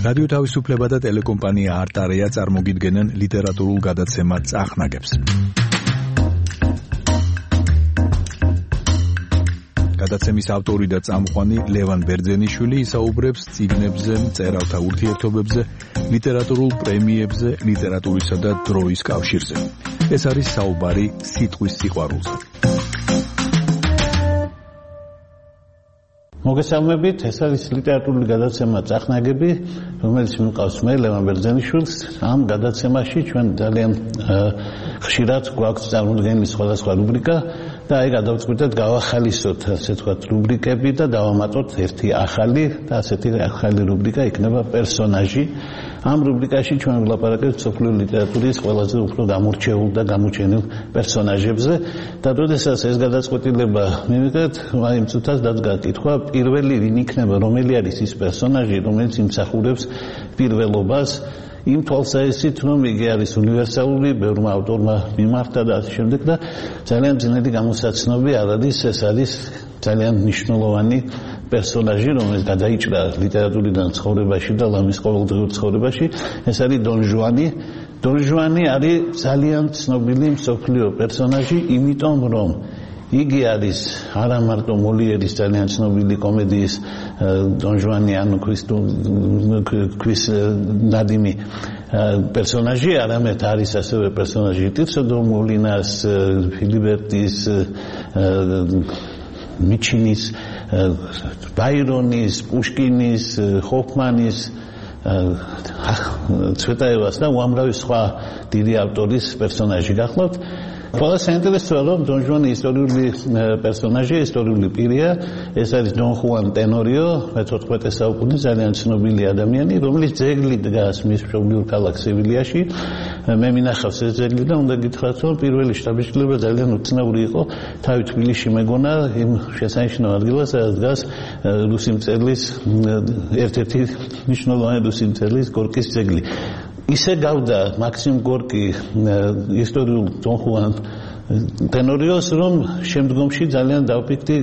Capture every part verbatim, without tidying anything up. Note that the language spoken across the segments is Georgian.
რადიო თავისუფლება და ტელეკომპანია არტარეა წარმოგიდგენენ ლიტერატურულ გადაცემა წახნაგებს. გადაცემის ავტორი და წამყვანი ლევან ბერძენიშვილი ისაუბრებს წიგნებზე, მწერალთა ურთიერთობებზე, ლიტერატურულ პრემიებზე, ლიტერატურისა და დროის კავშირზე. ეს არის საუბარი სიტყვის სიყვარულზე. მოგესალმებით, ეს არის ლიტერატურული გადაცემა წახნაგები, რომელიც მიყავს მე ლევან ბერძენიშვილს. ამ გადაცემაში ჩვენ ძალიან ხშირად გვაქვს წარმოდგენილი სხვადასხვა რუბრიკა და აი გადავწყვიტეთ გავახალისოთ, ასე ვთქვათ, რუბრიკები და დავამატოთ ერთი ახალი და ასეთი ახალი რუბრიკა იქნება პერსონაჟი. ამ რუბრიკაში ჩვენ ვლაპარაკებთ მსოფლიო ლიტერატურის ყველაზე უფრო გამორჩეულ და გამოჩენილ პერსონაჟებზე და როდესაც ეს გადაწყვეტილება მივიღეთ, აი იმ წუთას დაძგა კითხვა, პირველი ვინ იქნება, რომელი არის ის პერსონაჟი, რომელიც იმსახურებს პირველობას, იმ თვალსაზრისით, რომ იგი არის უნივერსალური, ბევრმა ავტორმა მიმართა და ასე შემდეგ და ძალიან ძნელი გამოსაცნობი არ არის, ეს არის ძალიან მნიშვნელოვანი პერსონაჟი, რომელიც გადაიჭრა ლიტერატურიდან ცხოვრებაში და ლამის ყოველდღიურ ცხოვრებაში, ეს არის დონ ჟუანი. დონ ჟუანი არის ძალიან ცნობილი მსოფლიო პერსონაჟი, იმიტომ რომ იგი არის არა მარტო მოლიერის ძალიან ცნობილი კომედიის დონ ჟუანი ანუ ქვის ნადიმი პერსონაჟი, არამედ არის ასევე პერსონაჟი ტირსო დო მოლინას, ფილიბერტის, მიჩინის, ბაირონის, პუშკინის, ჰოფმანის, ცვეტაევას და უამრავი სხვა დიდი ავტორის პერსონაჟი გახლავთ. ყველა საინტერესოა, რომ დონ ჟუანი ისტორიული პერსონაჟია, ისტორიული პირია. ეს არის დონ ხუან ტენორიო, მეთოთხმეტე საუკუნის ძალიან ცნობილი ადამიანი, რომელიც ძეგლი დგას მის მშობლიურ ქალაქ სევილიაში. მე მინახავს ეს ძეგლი და უნდა გითხრათ, რომ პირველი შთაბეჭდილება ძალიან უცნაური იყო. თავი თბილისში მეგონა იმ შესანიშნავ ადგილას, სადაც დგას რუსი მწერლის ერთ-ერთი მნიშვნელოვანი რუსი მწერლის გორკის ძეგლი. ისე გავდა მაქსიმ გორკი ისტორიულ დონ ხუან ტენორიოს, რომ შემდგომში ძალიან დავფიქრდი,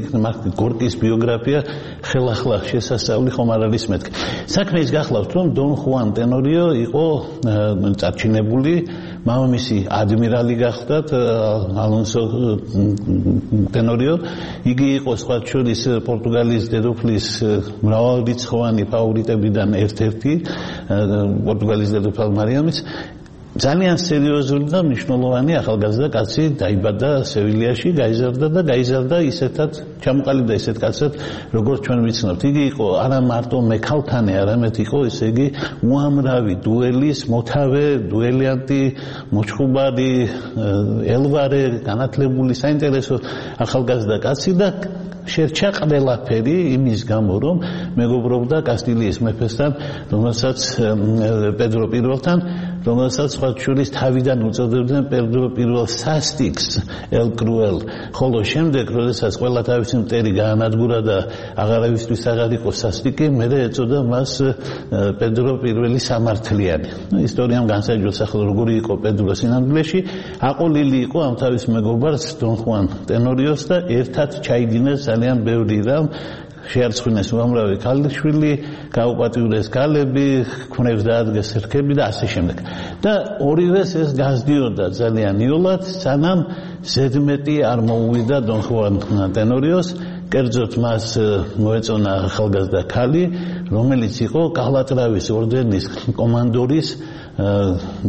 გორკის ბიოგრაფია ხელახლა შესასწავლი ხომ არ არის მეთქი. საქმე ის გახლავთ, რომ დონ ხუან ტენორიო იყო წარჩინებული, მამამისი ადმირალი გახლდათ, ალონსო ტენორიო. იგი იყო სხვა შორის პორტუგალიის დედოფლის მრავალრიცხოვანი ფავორიტებიდან ერთ-ერთი, პორტუგალიის დედოფალ მარიამის. ძალიან სერიოზული და მნიშვნელოვანი ახალგაზრდა კაცი დაიბადა სევილიაში, გაიზარდა და გაიზარდა ისეთად, ჩამოყალიბდა ისეთ კაცად, როგორც ჩვენ ვიცნობთ. იგი იყო არა მარტო მექალთანე, არამედ იყო ესე იგი უამრავი დუელის მოთავე, დუელიანტი, მოჩხუბარი, ელვარე, განათლებული, საინტერესო ახალგაზრდა კაცი და შერჩა ყველაფერი იმის გამო, რომ მეგობრობდა კასტილიის მეფესთან, რომელსაც პედრო პირველთან, რომელსაც სხვა შორის თავიდან უწოდებდნენ პედრო პირველ სასტიკს, ელ კრუელ. ხოლო შემდეგ, როდესაც ყველა თავისი მტერი გაანადგურა და აღარავისთვის აღარ იყო სასტიკი, მერე ეწოდა მას პედრო პირველი სამართლიანი. ისტორიამ განსაჯულოს ახლა როგორი იყო პედრო სინამდვილეში, აყოლილი იყო ამ თავის მეგობარს დონ ხუან ტენორიოს და ერთად ჩაიდინეს ძალიან ბევრი რამ, შეარწმუნეს უამრავი ქალიშვილი, გაუპატიურეს ქალები, ქმნებს დაადგეს რქები და ასე შემდეგ. და ორივეს ეს გასდიოდა ძალიან იოლად, სანამ ზედმეტი არ მოუვიდა დონ ხუან ტენორიოს. კერძოდ მას მოეწონა ახალგაზრდა ქალი, რომელიც იყო კალატრავის ორდენის კომანდორის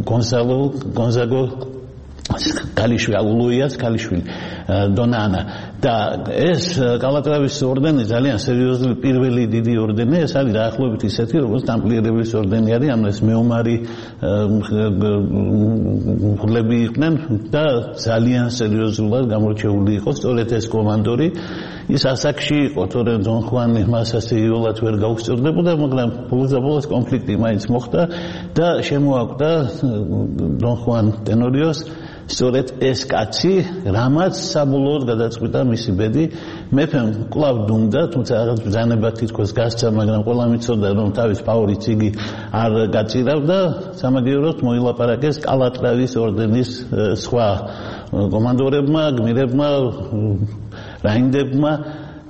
გონსალო გონზაგო კალიშვილი, ულუიას კალიშვილი, დონანა. და ეს კალატრავის ორდენი ძალიან სერიოზული პირველი დიდი ორდენი, ეს არის დაახლოებით ისეთი, როგორც ტამპლიერების ორდენი არის, ანუ ეს მეომარი მფლობელი იყვნენ და ძალიან სერიოზულად გამორჩეული იყო სწორედ ეს კომანდორი. ის ასაკში იყო, თორემ დონ ხუანი მას ასე იოლად ვერ გაუსწორდებოდა, მაგრამ ბოლოს კონფლიქტი მაინც მოხდა და შემოაკვდა დონ ხუან ტენორიოს სწორედ ეს კაცი, რამაც საბოლოოდ გადაწყვიტა მისი ბედი. მეფემ კვლავ დუმდა, თუმცა რაღაც ბრძანება თითქოს გასცა, მაგრამ ყველა მიცოდა, რომ თავის ფავორიტს იგი არ გაწირავდა. სამაგიეროდ მოილაპარაკეს კალატრავის ორდენის სხვა კომანდორებმა, გმირებმა, რაინდებმა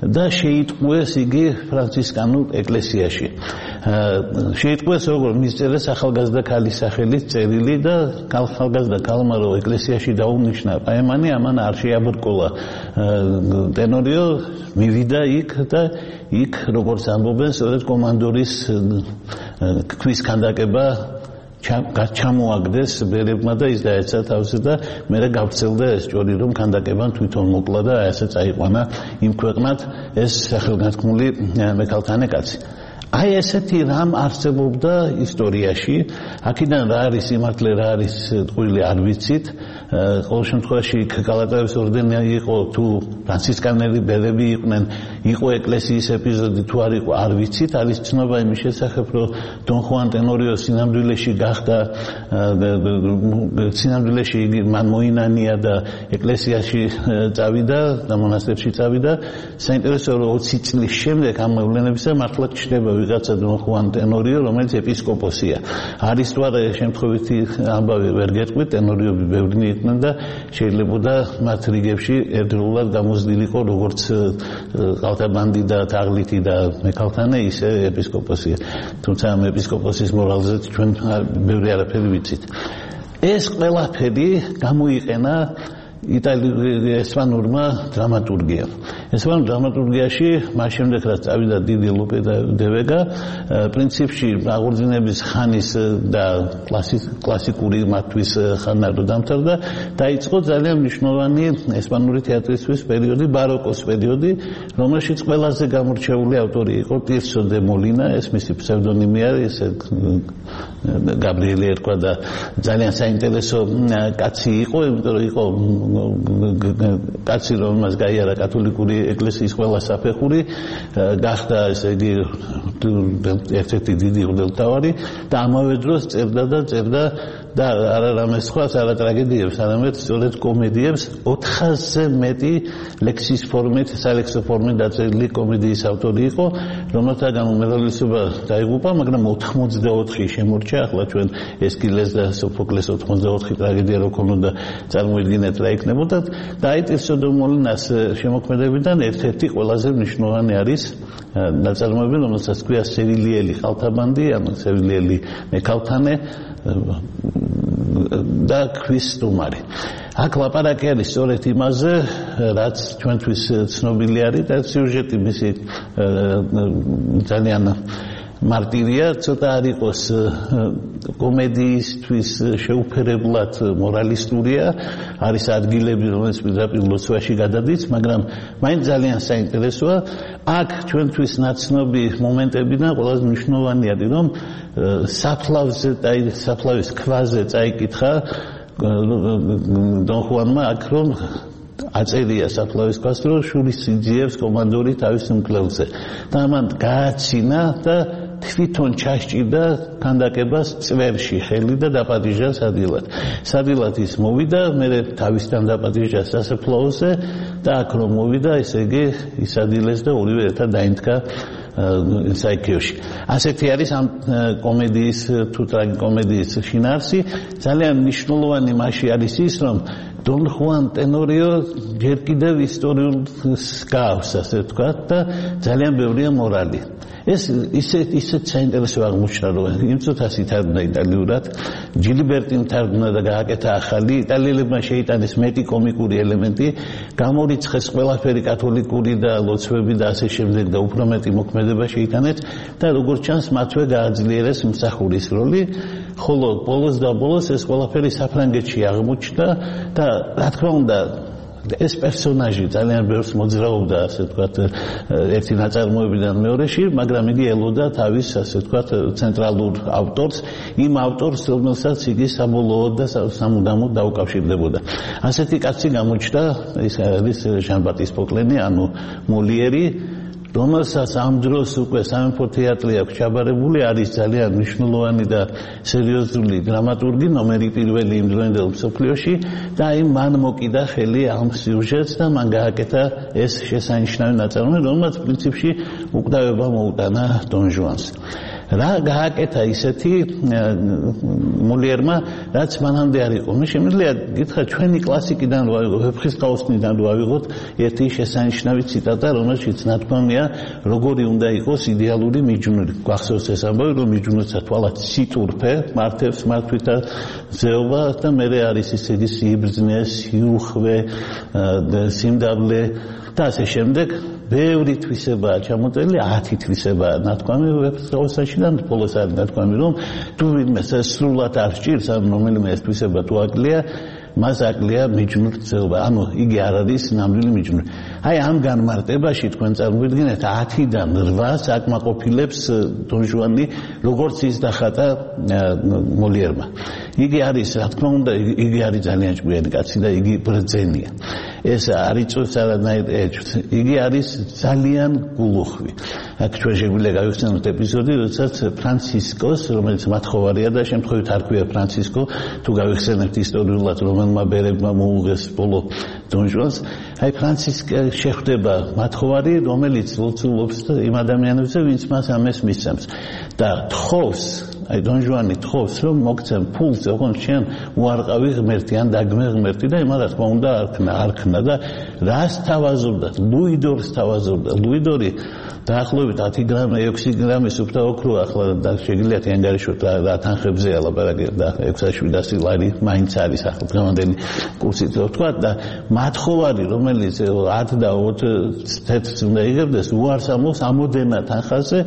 და შეიტყვეს იგი ფრანცისკანულ ეკლესიაში. შეიტყვეს როგორ მისწერეს ახალგაზრდა ქალის სახელით წერილი და ახალგაზრდა ქალმა რო ეკლესიაში დაუნიშნა პაემანი ამან არ შეაბრკოლა ტენორიო მივიდა იქ და იქ როგორც ამბობენ სწორედ კომანდორის ქვის ქანდაკება ჩამოაგდეს ბერებმა და ის დაეცა თავზე და მერე გავრცელდა ეს ჭორი რომ ქანდაკებამ თვითონ მოკლა და ასე წაიყვანა იმ ქვეყნად ეს სახელგანთქმული მექალთანე კაცი აი ესეთი რამ არსებობდა ისტორიაში აქედან რა არის სიმართლე რა არის ტყუილი არ ვიცით ყოველ შემთხვევაში კალატაევის ორდენი იყო თუ ფრანცისკანელი ბერები იყვნენ იყო ეკლესიის ეპიზოდი თუ არ იყო არ ვიცით არის ცნობა იმის შესახებ რომ დონ ხუან ტენორიო სინამდვილეში გახდა სინამდვილეში იგი მან მოინანია და ეკლესიაში წავიდა და მონასტერში წავიდა საინტერესოა რომ ოცი წლის შემდეგ ამ მოვლენებისა მართლა ჩნდება ვიღაცა დონ ხუან ტენორიო რომელიც ეპისკოპოსია არის თუ არა შემთხვევითი ამბავი ვერ გეტყვით ტენორიოები ბევრნი იყვნენ და შეიძლება მათ რიგებში ერთდროულად გამოზრდილიყო როგორც ყალთაბანდი და თაღლითი და მექალთანე ისე ეპისკოპოსია თუმცა ამ ეპისკოპოსის მორალზე ჩვენ ბევრი არაფერი ვიცით ეს ყველაფერი გამოიყენა იტალიურ ესპანურმა დრამატურგიამ ესპანურ დრამატურგიაში მას შემდეგ რაც წავიდა დიდი ლუპე დე ვეგა პრინციპში აღორძინების ხანის და კლასიკური მათთვის ხანა რო დამთავრდა დაიწყო ძალიან მნიშვნელოვანი ესპანური თეატრისთვის პერიოდი ბაროკოს პერიოდი რომელშიც ყველაზე გამორჩეული ავტორი იყო ტირსო დე მოლინა ეს მისი ფსევდონიმი არის გაბრიელი ერქვა და ძალიან საინტერესო კაცი იყო იმიტომ რომ იყო კაცი რომელმაც გაიარა კათოლიკური ეკლესიის ყველა საფეხური გახდა ესე იგი ერთ-ერთი დიდი მღვდელმთავარი და ამავე დროს წერდა და წერდა და არა რამე სხვა არა ტრაგედიებს არამედ სწორედ კომედიებს ოთხასზე მეტი ლექსის ფორმით სალექსო ფორმით დაწერილი კომედიის ავტორი იყო რომელთაგან უმრავლესობა დაიღუპა მაგრამ ოთხმოცდაოთხი შემორჩა ახლა ჩვენ ესკილეს და სოფოკლეს ოთხმოცდაოთხი ტრაგედია რო ქონოდა წარმოიდგინეთ რა იქნებოდა და აი ტირსო დე მოლინას შემოქმედებიდან ერთ-ერთი ყველაზე მნიშვნელოვანი არის ნაწარმოები რომელსაც ქვია სევილიელი ხალთაბანდი ანუ სევილიელი მექალთანე და ქვის სტუმარი აქ ლაპარაკი არის სწორედ იმაზე რაც ჩვენთვის ცნობილი არის და სიუჟეტი მისი ძალიან მარტივია ცოტა არ იყოს კომედიისთვის შეუფერებლად მორალისტურია არის ადგილები რომელიც პირდაპირ ლოცვაში გადადის მაგრამ მაინც ძალიან საინტერესოა აქ ჩვენთვის ნაცნობი მომენტებიდან ყველაზე მნიშვნელოვანი არის რომ საფლავზე და საფლავის ქვაზე წაიკითხა დონ ხუანმა აქ რომ აწერია საფლავის ქვას რომ შურის იძიებს კომანდორი თავის მკვლელზე და ამან გააცინა და თვითონ ჩასჭირდა ქანდაკებას წვერში ხელი და დაპატიჟა სადილად. სადილად ის მოვიდა, მე თავისთან დაპატიჟა სასაფლაოზე და აქ რომ მოვიდა, ესე იგი ისადილეს და ორივე ერთად დაინთქა საიქიოში. ასეთი არის ამ კომედიის თუ ტრაგიკომედიის შინაარსი. ძალიან მნიშვნელოვანი მასში არის ის, რომ დონ ხუან ტენორიო ჯერ კიდევ ისტორიულს გავს, ასე ვთქვათ, და ძალიან ბევრია მორალი. ეს ისეთ ისეთ საინტერესო აღმოჩნდა, რომ იმ წუთას ითარგმნა იტალიურად, ჯილიბერტიმ თარგმნა და გააკეთა ახალი, იტალიელებმა შეიტანეს მეტი კომიკური ელემენტი, გამორიცხეს ყველაფერი კათოლიკური და ლოცვები და ასე შემდეგ და უფრო მეტი მოქმედება შეიტანეს და როგორც ჩანს, მათვე გააძლიერეს მსახურის როლი, ხოლო ბოლოს და ბოლოს ეს ყველაფერი საფრანგეთში აღმოჩნდა და რა თქმა უნდა ეს პერსონაჟი ძალიან ბევრს მოძრაობდა, ასე ვთქვათ, ერთი ნაწარმოებიდან მეორეში, მაგრამ იგი ელოდა თავის, ასე ვთქვათ, ცენტრალურ ავტორს, იმ ავტორს, რომელსაც იგი საბოლოოდ და სამუდამოდ დაუკავშირდებოდა. ასეთი კაცი გამოჩნდა, ის არის ჟან-ბატისტ პოკლენი, ანუ მოლიერი, რომელსაც ამ დროს უკვე სამეფო თეატრი აქვს ჩაბარებული, არის ძალიან მნიშვნელოვანი და სერიოზული დრამატურგი, ნომერი პირველი იმ დროინდელ მსოფლიოში და აი მან მოკიდა ხელი ამ სიუჟეტს და მან გააკეთა ეს შესანიშნავი ნაწარმოები, რომელსაც პრინციპში უკვდავება მოუტანა დონ ჟუანს. რა გააკეთა ისეთი მოლიერმა, რაც მანამდე არ იყო. მე შემიძლია გითხრა ჩვენი კლასიკიდან რო ავიღოთ, ვეფხისტყაოსნიდან რო ავიღოთ ერთი შესანიშნავი ციტატა, რომელშიც ნათქვამია, როგორი უნდა იყოს იდეალური მიჯნური. გვახსოვს ეს ამბავი, რომ მიჯნურთა თვალად სიტურფე მართებს მართვითა ზეობა და მერე არის ისეთი სიბრძნე, სიუხვე, სიმდაბლე და ასე შემდეგ. ბევრი თვისებაა ჩამოწერილი, ათი თვისებაა ნათქვამი ვეფხისტყაოსანში და ბოლოს არის ნათქვამი, რომ თუ ვინმე სრულად არ სჭირს, ან რომელიმე ეს თვისება თუ აკლია, მას აკლია მიჯნური ზეობა. ანუ იგი არ არის ნამდვილი მიჯნური. აი ამ განმარტებაში თქვენ წარმოიდგინეთ ათიდან რვას აკმაყოფილებს დონ ჟუანი, როგორც ის დახატა მოლიერმა. იგი არის, რა თქმა უნდა, იგი არის ძალიან ჭკვიანი კაცი და იგი ბრძენია. ეს არ იწვევს არანაირ ეჭვს. იგი არის ძალიან გულუხვი. აქ ჩვენ შეგვიძლია გავიხსენოთ ეპიზოდი, როდესაც ფრანცისკოს, რომელიც მათხოვარია და შემთხვევით არ ქვია ფრანცისკო, თუ გავიხსენებთ ისტორიულად, რომელმა ბერებმა მოუღეს ბოლო დონ ჟუანს, აი ფრანცისკე შეხვდება მათხოვარი, რომელიც ლოცულობს იმ ადამიანებზე, ვინც მას ამას მისცემს და თხოვს, აი დონ ჟუანი თხოვს, რომ მოგცემ ფულს, ოღონდ შენ უარყავი ღმერთი ან დაგმე ღმერთი და იმას რა თქმა უნდა არქნა, არქნა და რას თავაზობდა? ლუი დორს თავაზობდა. ლუი დორი დაახლოებით ათი გრამი, ექვსი გრამი სუფთა ოქრო ახლა და შეგიძლიათ ანგარიშოთ რა თანხებზეა ლაპარაკი და ექვსი ათასი ლარი მაინც არის ახლა დღევანდელი კურსით ვთქვა და მათხოვარი, რომელიც ათ და ოცი თეთრს უნდა იღებდეს, უარს ამბობს ამოდენა თანხაზე,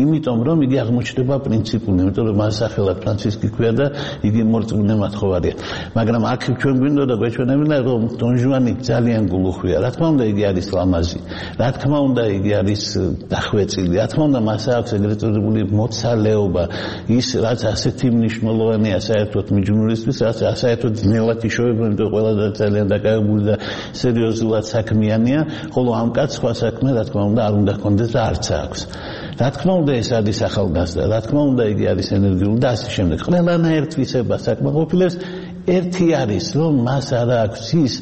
იმიტომ რომ იგი აღმოჩნდება პრინციპული, იმიტომ რომ მას სახელად ფრანცისკი ქვია და იგი მორწმუნე მათხოვარია. მაგრამ აქ ჩვენ გვინდა და გვეჩვენებინა, რომ დონ ჟუანი ძალიან გულუხვია. რა თქმა უნდა, იგი არის ლამაზი. რა თქმა უნდა, იგი არის დახვეწილი. რა თქმა უნდა, მას აქვს ეგრეთ წოდებული მოცალეობა, ის რაც ასეთი მნიშვნელოვანია საერთოდ მიჯნურისთვის, რაც საერთოდ ძნელად იშოვება, იმიტომ ყველა ძალიან დაკავებული და სერიოზულად საქმიანია, ხოლო ამ კაცს სხვა საქმე, რა თქმა უნდა, არ უნდა ჰქონდეს და არც აქვს. რა თქმა უნდა, ეს არის ახალგაზრდა, რა თქმა უნდა, იგი არის ენერგიული და ასე შემდეგ. ყველანაირ თვისებას აკმაყოფილებს. ერთი არის, რომ მას არ აქვს ის,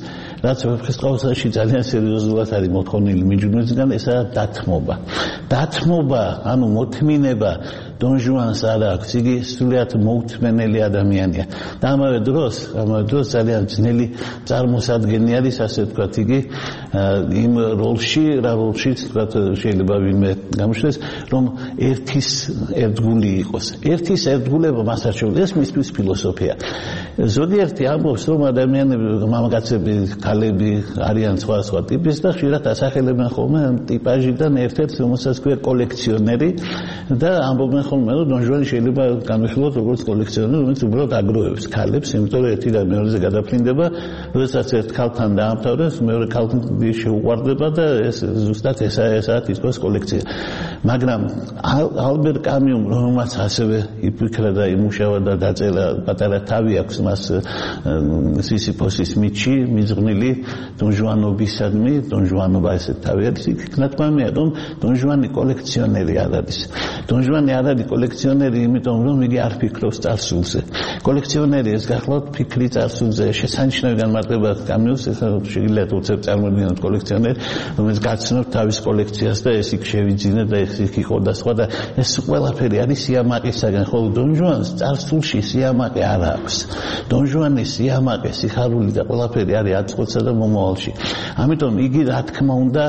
რაც ვეფხისტყაოსანში ძალიან სერიოზულად არის მოთხოვნილი მიჯნურისგან, ესაა დათმობა. დათმობა, ანუ მოთმინება დონ ჟუანს არ აქვს, იგი სრულიად მოუთმენელი ადამიანია. და ამავე დროს, ამავე დროს ძალიან ძნელი წარმოსადგენი არის, ასე ვთქვათ, იგი იმ როლში, რა როლშიც ვთქვათ, შეიძლება ვინმე გამოჩნდეს, რომ ერთის ერთგული იყოს. ერთის ერთგულება მას არ შეუძლია, ეს მისთვის ფილოსოფია. ზოგიერთი ამბობს, რომ ადამიანები, მამაკაცები, ქალები არიან სხვა სხვა ტიპის და ხშირად ასახელებენ ხოლმე ტიპაჟიდან ერთ-ერთს, რომელსაც ქვია კოლექციონერი და ამბობენ ხოლმე, რომ დონ ჟუანი შეიძლება განვიხილოთ როგორც კოლექციონერი, რომელიც უბრალოდ აგროვებს ქალებს, იმიტომ რომ ერთი და მეორეზე გადაფრინდება, როდესაც ერთ ქალთან დაამთავრებს, მეორე ქალთან შეუყვარდება და ეს ზუსტად ესაა ესაა თითქოს კოლექცია. მაგრამ ალბერ კამიუმ, რომელმაც ასევე იფიქრა და იმუშავა და დაწერა, პატარა თავი აქვს მას სისიფოსის მითში მიძღვნილი დონ ჟუანობისადმი, დონ ჟუანობა ესეთ თავი არის, იქ ნათქვამია, რომ დონ ჟუანი კოლექციონერი არ არის. დონ ჟუანი არ არის კოლექციონერი, იმიტომ რომ იგი არ ფიქრობს წარსულზე. კოლექციონერი ეს გახლავთ ფიქრი წარსულზე, შესანიშნავი განმარტება კამიუს, ეს შეგიძლიათ უცებ წარმოიდგინოთ კოლექციონერი, რომელიც გაცნობს თავის კოლექციას და ეს იქ შევიძინა და ეს იქ იყო და სხვა და ეს ყველაფერი არის სიამაყისაგან, ხოლო დონ ჟუანს წარსულში სიამაყე არ აქვს. დონ ჟუანის სიამაყე, სიხარული და ყველაფერი არის აწყვეტსა და მომავალში. ამიტომ იგი რა თქმა უნდა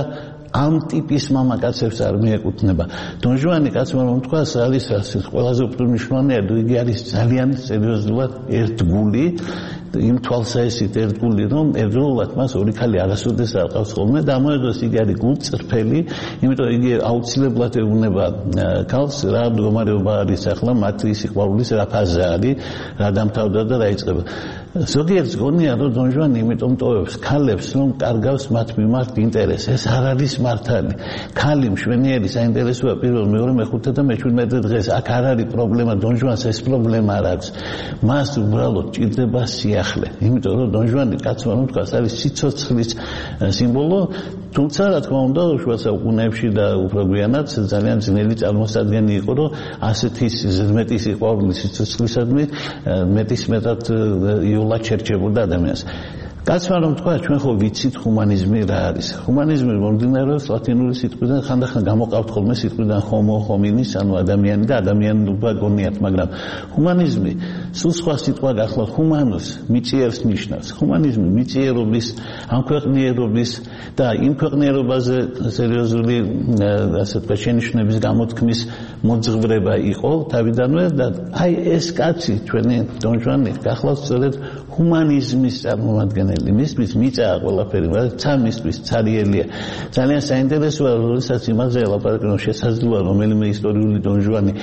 ამ ტიპის მამაკაცებს არ მიეკუთვნება. დონ ჟუანი კაცმა რომ თქვას, არის ყველაზე უპირისპირდია, იგი არის ძალიან სერიოზულად ერთგული, იმ თვალსაჩინო ერთგული, რომ ერთდროულად მას ორი ქალი არასოდეს არ ყავს ხოლმე და ამავე დროს იგი არის გულწრფელი, იმიტომ იგი აუცილებლად ეუბნება ქალს, რა მდგომარეობა არის ახლა მათი სიყვარულის რა ფაზა არის, რა დამთავრდა და რა იწყება. ზოგიერთს გონია, რომ დონ ჟუანი იმიტომ ტოვებს ქალებს, რომ კარგავს მათ მიმართ ინტერესს. ეს არ არის მართალი. ქალი მშვენიერი საინტერესოა პირველ, მეორე, მეხუთე და მეჩვიდმეტე დღეს. აქ არ არის პრობლემა, დონ ჟუანს ეს პრობლემა არ აქვს. მას უბრალოდ ჭირდება სიახლე. იმიტომ რომ დონ ჟუანი კაცმა რომ თქვას, არის სიცოცხლის სიმბოლო, თუმცა რა თქმა უნდა, შუა საუკუნეებში და უფრო გვიანაც ძალიან ძნელი წარმოსადგენი იყო, რომ ასეთი მეტი სიყვარული სიცოცხლისადმი მეტის მეტად იოლად შერჩებოდა ადამიანს. კაცმა რომ თქვა ჩვენ ხო ვიცით ჰუმანიზმი რა არის ჰუმანიზმი მომდინარეობს ლათინური სიტყვიდან ხანდახან გამოყავთ ხოლმე სიტყვიდან homo hominis ანუ ადამიანი და ადამიანობა გონიათ მაგრამ ჰუმანიზმი სულ სხვა სიტყვა გახლავთ humanus მიწიერს ნიშნავს ჰუმანიზმი მიწიერობის ამ ქვეყნიერობის და იმ ქვეყნიერობაზე სერიოზული ასე თქვა შენიშვნების გამოთქმის მოძღვრება იყო თავიდანვე და აი ეს კაცი ჩვენი დონ ჟუანი გახლავთ სწორედ ჰუმანიზმის წარმომადგენელი მისთვის მიწაა ყველაფერი მაგრამ ცამისთვის ცარიელია ძალიან საინტერესოა როდესაც იმაზე ელაპარაკებენ შესაძლოა რომელიმე ისტორიული დონ ჟუანი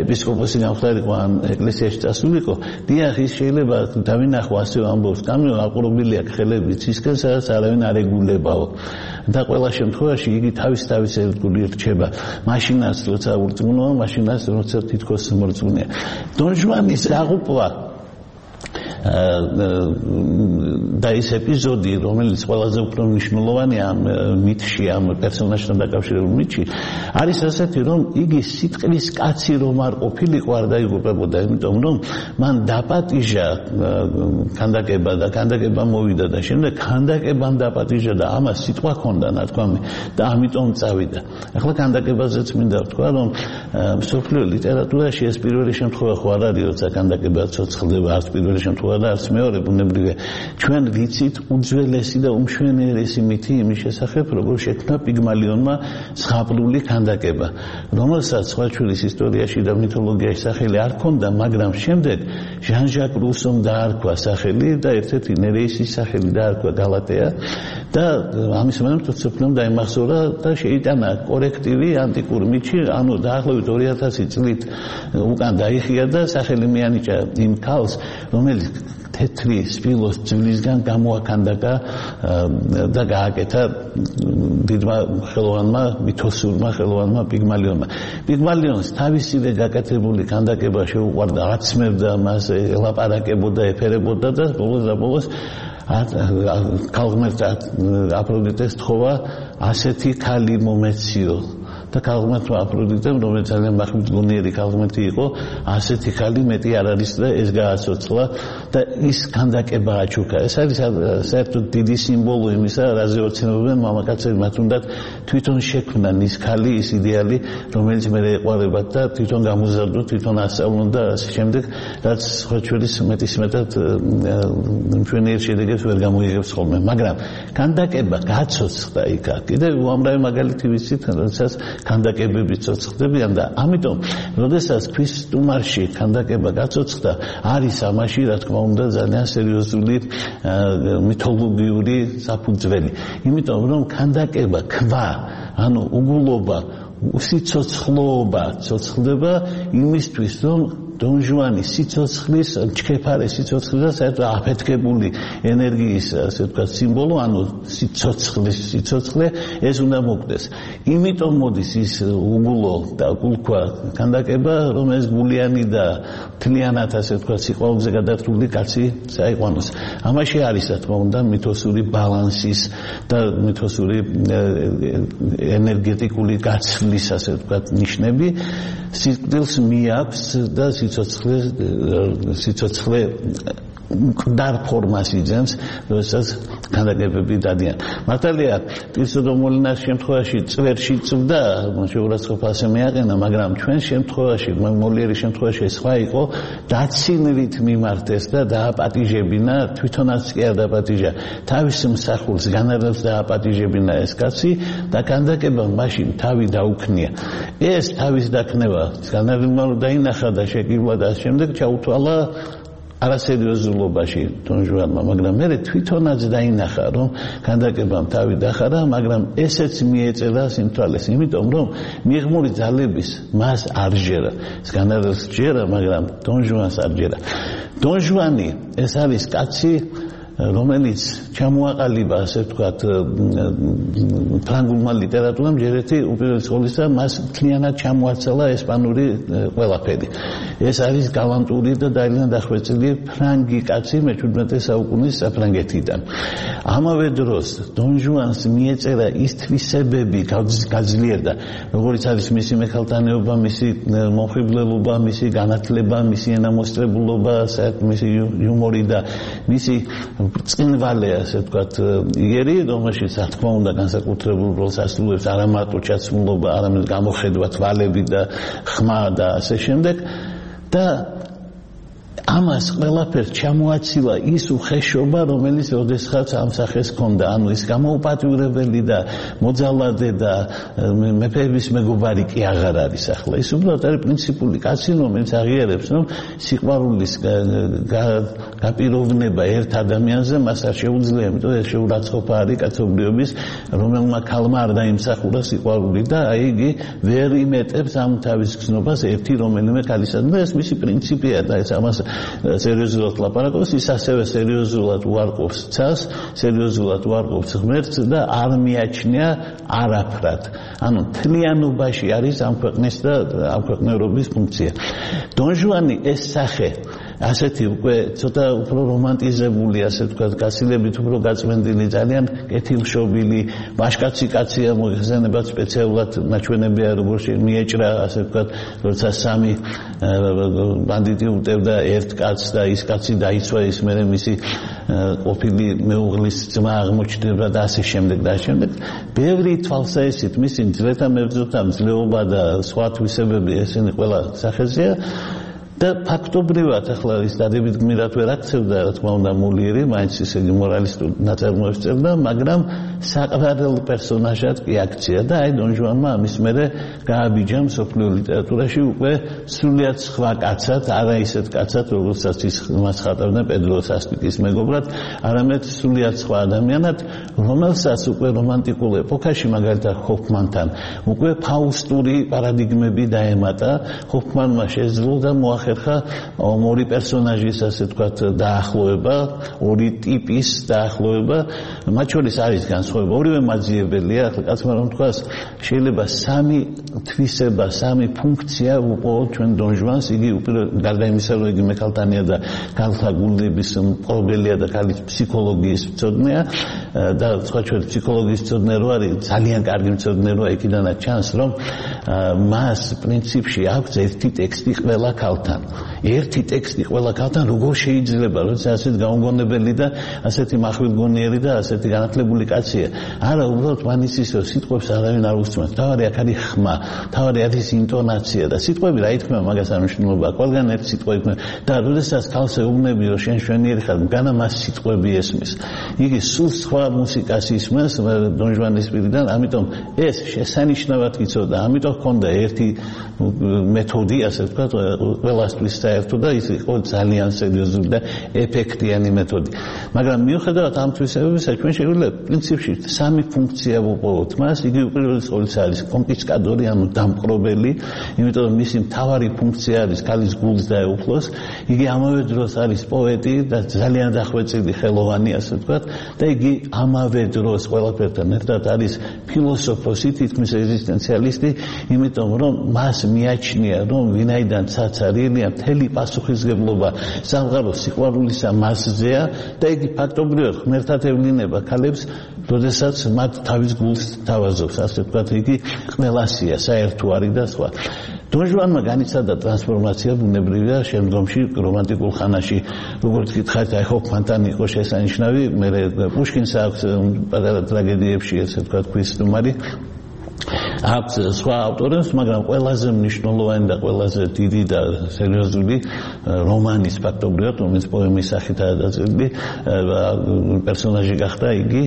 ეპისკოპოსი გამხდარიყო ან ეკლესიაში წასულიყო დიახ ის შეიძლება დავინახო ასე ამბობს კამიო აყრობილი აქვს ხელები ცისკენ სადაც არავინ არ ეგულებაო და ყველა შემთხვევაში იგი თავის თავის ერთგული რჩება მაშინაც როცა ურწმუნოა მაშინაც როცა თითქოს მორწმუნეა დონ ჟუანის აღუპვა და ეს ეპიზოდი რომელიც ყველაზე უფრო მნიშვნელოვანია ამ მითში ამ პერსონაჟთან დაკავშირებულ მითში არის ასეთი რომ იგი სიტყვის კაცი რომ არ ყოფილიყო არ დაიღუპებოდა იმიტომ რომ მან დაპატიჟა ქანდაკება და ქანდაკება მოვიდა და შემდეგ ქანდაკებამ დაპატიჟა და ამას სიტყვა ჰქონდა ნათქვამი და ამიტომ წავიდა ახლა ქანდაკებაზეც მინდა ვთქვა რომ მსოფლიო ლიტერატურაში ეს პირველი შემთხვევა ხო არ არის როცა ქანდაკება ცოცხლდება არც პირველი შემთხვევა და არც მეორე ბუნებრივია ჩვენ ვიცით უძველესი და უმშვენიერესი მითი იმის შესახებ როგორ შექმნა პიგმალიონმა ზღაპრული ქანდაკება რომელსაც სხვაჩვირის ისტორიაში და მითოლოგიაში სახელი არ ჰქონდა მაგრამ შემდეგ ჟან ჟაკ რუსომ დაარქვა სახელი და ერთ-ერთი ნერეისის სახელი დაარქვა გალატეა და ამის მომენტ სოფლომ დაიმახსოვრა და შეიტანა კორექტივი ანტიკურ მითში ანუ დაახლოებით ორი ათასი წლით უკან დაიხია და სახელი მიანიჭა იმ ქალს რომელიც თეთრი სპილოს ძვლისგან გამოაქანდაკა და გააკეთა დიდმა ხელოვანმა მითოსურმა ხელოვანმა პიგმალიონმა პიგმალიონს თავისივე გაკეთებული ქანდაკება შეუყვარდა აცმევდა მას ელაპარაკებოდა ეფერებოდა და ბოლოს და ბოლოს ქალღმერთ აფროდიტეს თხოვა ასეთი ქალი მომეციო და ქალღმერთმა აფროდიტემ რომელიც ძალიან მახვილგონიერი ქალღმერთი იყო ასეთი ქალი მეტი არ არის და ეს გააცოცხლა და ის ქანდაკება აჩუქა ეს არის საერთოდ დიდი სიმბოლო იმისა რაზე ოცნებობენ მამაკაცები მათ უნდათ თვითონ შექმნან ის ქალი ის იდეალი რომელიც მე ეყვარებათ და თვითონ გამოზარდოთ თვითონ ასწავლონ და ასე შემდეგ რაც ხოჩვერის მეტისმეტად მშვენიერ შედეგებს ვერ გამოიღებს ხოლმე მაგრამ ქანდაკება გაცოცხლა იქ კიდევ უამრავი მაგალითი ვიცით როდესაც ქანდაკებები ცოცხლდებიან და ამიტომ როდესაც ქვის სტუმარში ქანდაკება გაცოცხლდა არის ამაში რა თქმა უნდა ძალიან სერიოზული მითოლოგიური საფუძველი იმიტომ რომ ქანდაკება ქვა ანუ უგულობა სიცოცხლეობა ცოცხლდება იმისთვის რომ დონ ჟუანი სიცოცხლის ჩქეფარე სიცოცხლის და საერთოდ აფეთქებული ენერგიის ასე ვთქვათ სიმბოლო ანუ სიცოცხლის სიცოცხლე ეს უნდა მოკვდეს იმიტომ მოდის ის უგულო და გულქვა ქანდაკება რომ ეს გულიანი და თლიანად ასე ვთქვათ სიყვარულზე გადართული კაცი საიყვანოს ამაში არის რა თქმა უნდა მითოსური ბალანსის და მითოსური ენერგეტიკული გაცვლის ასე ვთქვათ ნიშნები სიკვდილს მიაქვს და სიცოცხლე სიცოცხლე მკვდარ ფორმას იძენს, როდესაც ქანდაკებები დადიან. მართალია, პირსოდომოლინას შემთხვევაში წვერში წვდა, შეურაცხყოფას მეაყენა, მაგრამ ჩვენ შემთხვევაში, მოლიერის შემთხვევაში სხვა იყო, დაცინვით მიმართეს და დააპატიჟებინა, თვითონაც კი არ დააპატიჟა, თავის მსახურს განარევს დააპატიჟებინა ეს კაცი და ქანდაკებამ მაშინ თავი დაუქნია. ეს თავის დაქნება, განარევმა დაინახა და შეკივა და შემდეგ ჩაუთვალა არასერიოზულობაში დონ ჟუანმა, მაგრამ მე თვითონაც დაინახა, რომ ქანდაკებამ თავი დახარა, მაგრამ ესეც მიეწერა სიმთვალეს, იმიტომ რომ მიღმური ძალების მას არ ჯერა. ეს განარევს ჯერა, მაგრამ დონ ჟუანს არ ჯერა. დონ ჟუანი ეს არის კაცი, რომელიც ჩამოაყალიბა, ასე ვთქვათ, ფრანგულმა ლიტერატურამ ჯერეთი უპირველეს ყოვლისა მას მთლიანად ჩამოაცალა ესპანური ყველაფერი. ეს არის გალანტური და ძალიან დახვეწილი ფრანგი კაცი მეჩვიდმეტე საუკუნის საფრანგეთიდან. ამავე დროს დონ ჟუანს მიეწერა ის თვისებები გაძლიერდა, როგორც არის მისი მეხალტანეობა, მისი მომხიბლელობა, მისი განათლება, მისი ენამოსწრებულობა, მისი იუმორი და მისი ბრწყინვალე, ასე ვთქვათ, იერი, რომელშიც რა თქმა უნდა განსაკუთრებულ როლს ასრულებს არა მარტო ჩაცმულობა, არამედ გამოხედვა, თვალები და ხმა და ასე შემდეგ და ამას ყველაფერს ჩამოაცილა ის უხეშობა, რომელიც ოდესღაც ამ სახეს ჰქონდა, ანუ ის გამოუპატიურებელი და მოძალადე და მეფეების მეგობარი კი აღარ არის ახლა. ის უბრალოდ არის პრინციპული კაცი, რომელიც აღიარებს, რომ სიყვარულის გაპიროვნება ერთ ადამიანზე მას არ შეუძლია, იმიტომ ეს შეურაცხყოფა არის კაცობრიობის, რომელმა ქალმა არ დაიმსახურა სიყვარული და აი იგი ვერ იმეტებს ამ თავის გზნობას ერთი რომელიმე ქალისადმი და ეს მისი პრინციპია და ეს ამას სერიოზულად ლაპარაკობს, ის ასევე სერიოზულად უარყოფს ცას, სერიოზულად უარყოფს ღმერთს და არ მიაჩნია არაფრად. ანუ თლიანობაში არის ამ ქვეყნის და ამ ქვეყნიერობის ფუნქცია. დონ ჟუანი ეს სახე ასეთი უკვე ცოტა უფრო რომანტიზებული, ასე ვთქვათ, გასილებით უფრო გაწმენდილი, ძალიან კეთილშობილი, ვაჟკაცი კაცია, მოიხსენებათ სპეციალურად ნაჩვენებია, როგორ მიეჭრა, ასე ვთქვათ, როცა სამი ბანდიტი უტევდა ერთ კაცს და ის კაცი დაიცვა, ის მერე მისი ყოფილი მეუღლის ძმა აღმოჩნდება და ასე შემდეგ და ასე შემდეგ. ბევრი თვალსაჩინო მისი ძლითა მებრძოლთა მძლეობა და სხვა თვისებები ესენი ყველა სახეზეა. და ფაქტობრივად ახლა ის დადებით გმირად ვერ აქცევდა, რა თქმა უნდა, მოლიერი, მაინც ისე მორალისტურ ნაწარმოებს წერდა, მაგრამ საყრდენ პერსონაჟად კი აქცია და აი დონ ჟუანმა ამის მერე გააბიჯა მსოფლიო ლიტერატურაში უკვე სრულიად სხვა კაცად, არა ისეთ კაცად, რომელსაც ის მას ხატავდა პედრო სასტიკის მეგობრად, არამედ სრულიად სხვა ადამიანად, რომელსაც უკვე რომანტიკულ ეპოქაში, მაგალითად ჰოფმანთან, უკვე ფაუსტური პარადიგმები დაემატა, ჰოფმანმა შეძლო და მოახერხა ორი პერსონაჟის, ასე ვთქვათ, დაახლოება, ორი ტიპის დაახლოება, მათ შორის არის განსხვავება, ორივე მაძიებელია, ახლა კაცმა რომ თქვას, შეიძლება სამი თვისება, სამი ფუნქცია უყოვოთ ჩვენ დონ ჟუანს, იგი გარდა იმისა, რომ იგი მექალთანია და ქალთა გულების მპყრობელია და ქალის ფსიქოლოგიის მცოდნეა და სხვა ჩვენი ფსიქოლოგიის მცოდნე რო არის, ძალიან კარგი მცოდნე როა, იქიდანაც ჩანს, რომ მას პრინციპში აქვს ერთი ტექსტი ყველა ქალთან. ერთი ტექსტი ყველა ქალთან როგორ შეიძლება, როცა ასეთ გაუგონებელი და ასეთი მახვილგონიერი და ასეთი განათლებული კაცია. არა, უბრალოდ მანისის სიტყვებს არავინ არ უსწრებს. თავარი აქ არის ხმა, თავარი არის ინტონაცია და სიტყვები რა ითქმა მაგას არ მნიშვნელობა. ყველგან ერთი სიტყვა ითქმა და როდესაც ქალს ეუბნები, რომ შენ შვენიერი ხარ, განა მას სიტყვები ესმის. იგი სულ სხვა მუსიკას ისმის დონ ჟუანის პირიდან, ამიტომ ეს შესანიშნავად იცოდა, ამიტომ ჰქონდა ერთი მეთოდი, ასე ვთქვათ, ყველასთვის საერთო და ის იყო ძალიან სერიოზული და ეფექტიანი მეთოდი. მაგრამ მიუხედავად ამ თვისებებისა, ჩვენ შეგვიძლია პრინციპში სამი ფუნქცია ვუყოვოთ მას, იგი უპირველეს ყოვლისა არის კონკისტადორი, ანუ დამპყრობელი, იმიტომ რომ მისი მთავარი ფუნქცია არის ქალის გულს დაეუფლოს, იგი ამავე დროს არის პოეტი და ძალიან დახვეწილი ხელოვანი, ასე ვთქვათ, და იგი ამავე დროს ყველაფერთან ერთად არის ფილოსოფოსი, თითქმის ეგზისტენციალისტი, იმიტომ რომ მას მიაჩნია, რომ ვინაიდან ცაცარიელია, მთელი პასუხისგებლობა სამყაროს სიყვარულისა მასზეა და იგი ფაქტობრივად ღმერთად ევლინება ქალებს, როდესაც მათ თავის გულს თავაზობს, ასე ვთქვათ, იგი ყველასია, საერთო არის და სხვა. დონ ჟუანმა განიცადა ტრანსფორმაცია ბუნებრივია შემდგომში რომანტიკულ ხანაში, როგორც გითხარით, აი ჰოფმანთან იყო შესანიშნავი, მე პუშკინს აქვს პატარა ტრაგედიებში, ასე ვთქვათ, ქრისტუმარი აქვს სხვა ავტორებს, მაგრამ ყველაზე მნიშვნელოვანი და ყველაზე დიდი და სერიოზული რომანის ფაქტობრივად, რომელიც პოემის სახითაა დაწერილი, პერსონაჟი გახდა იგი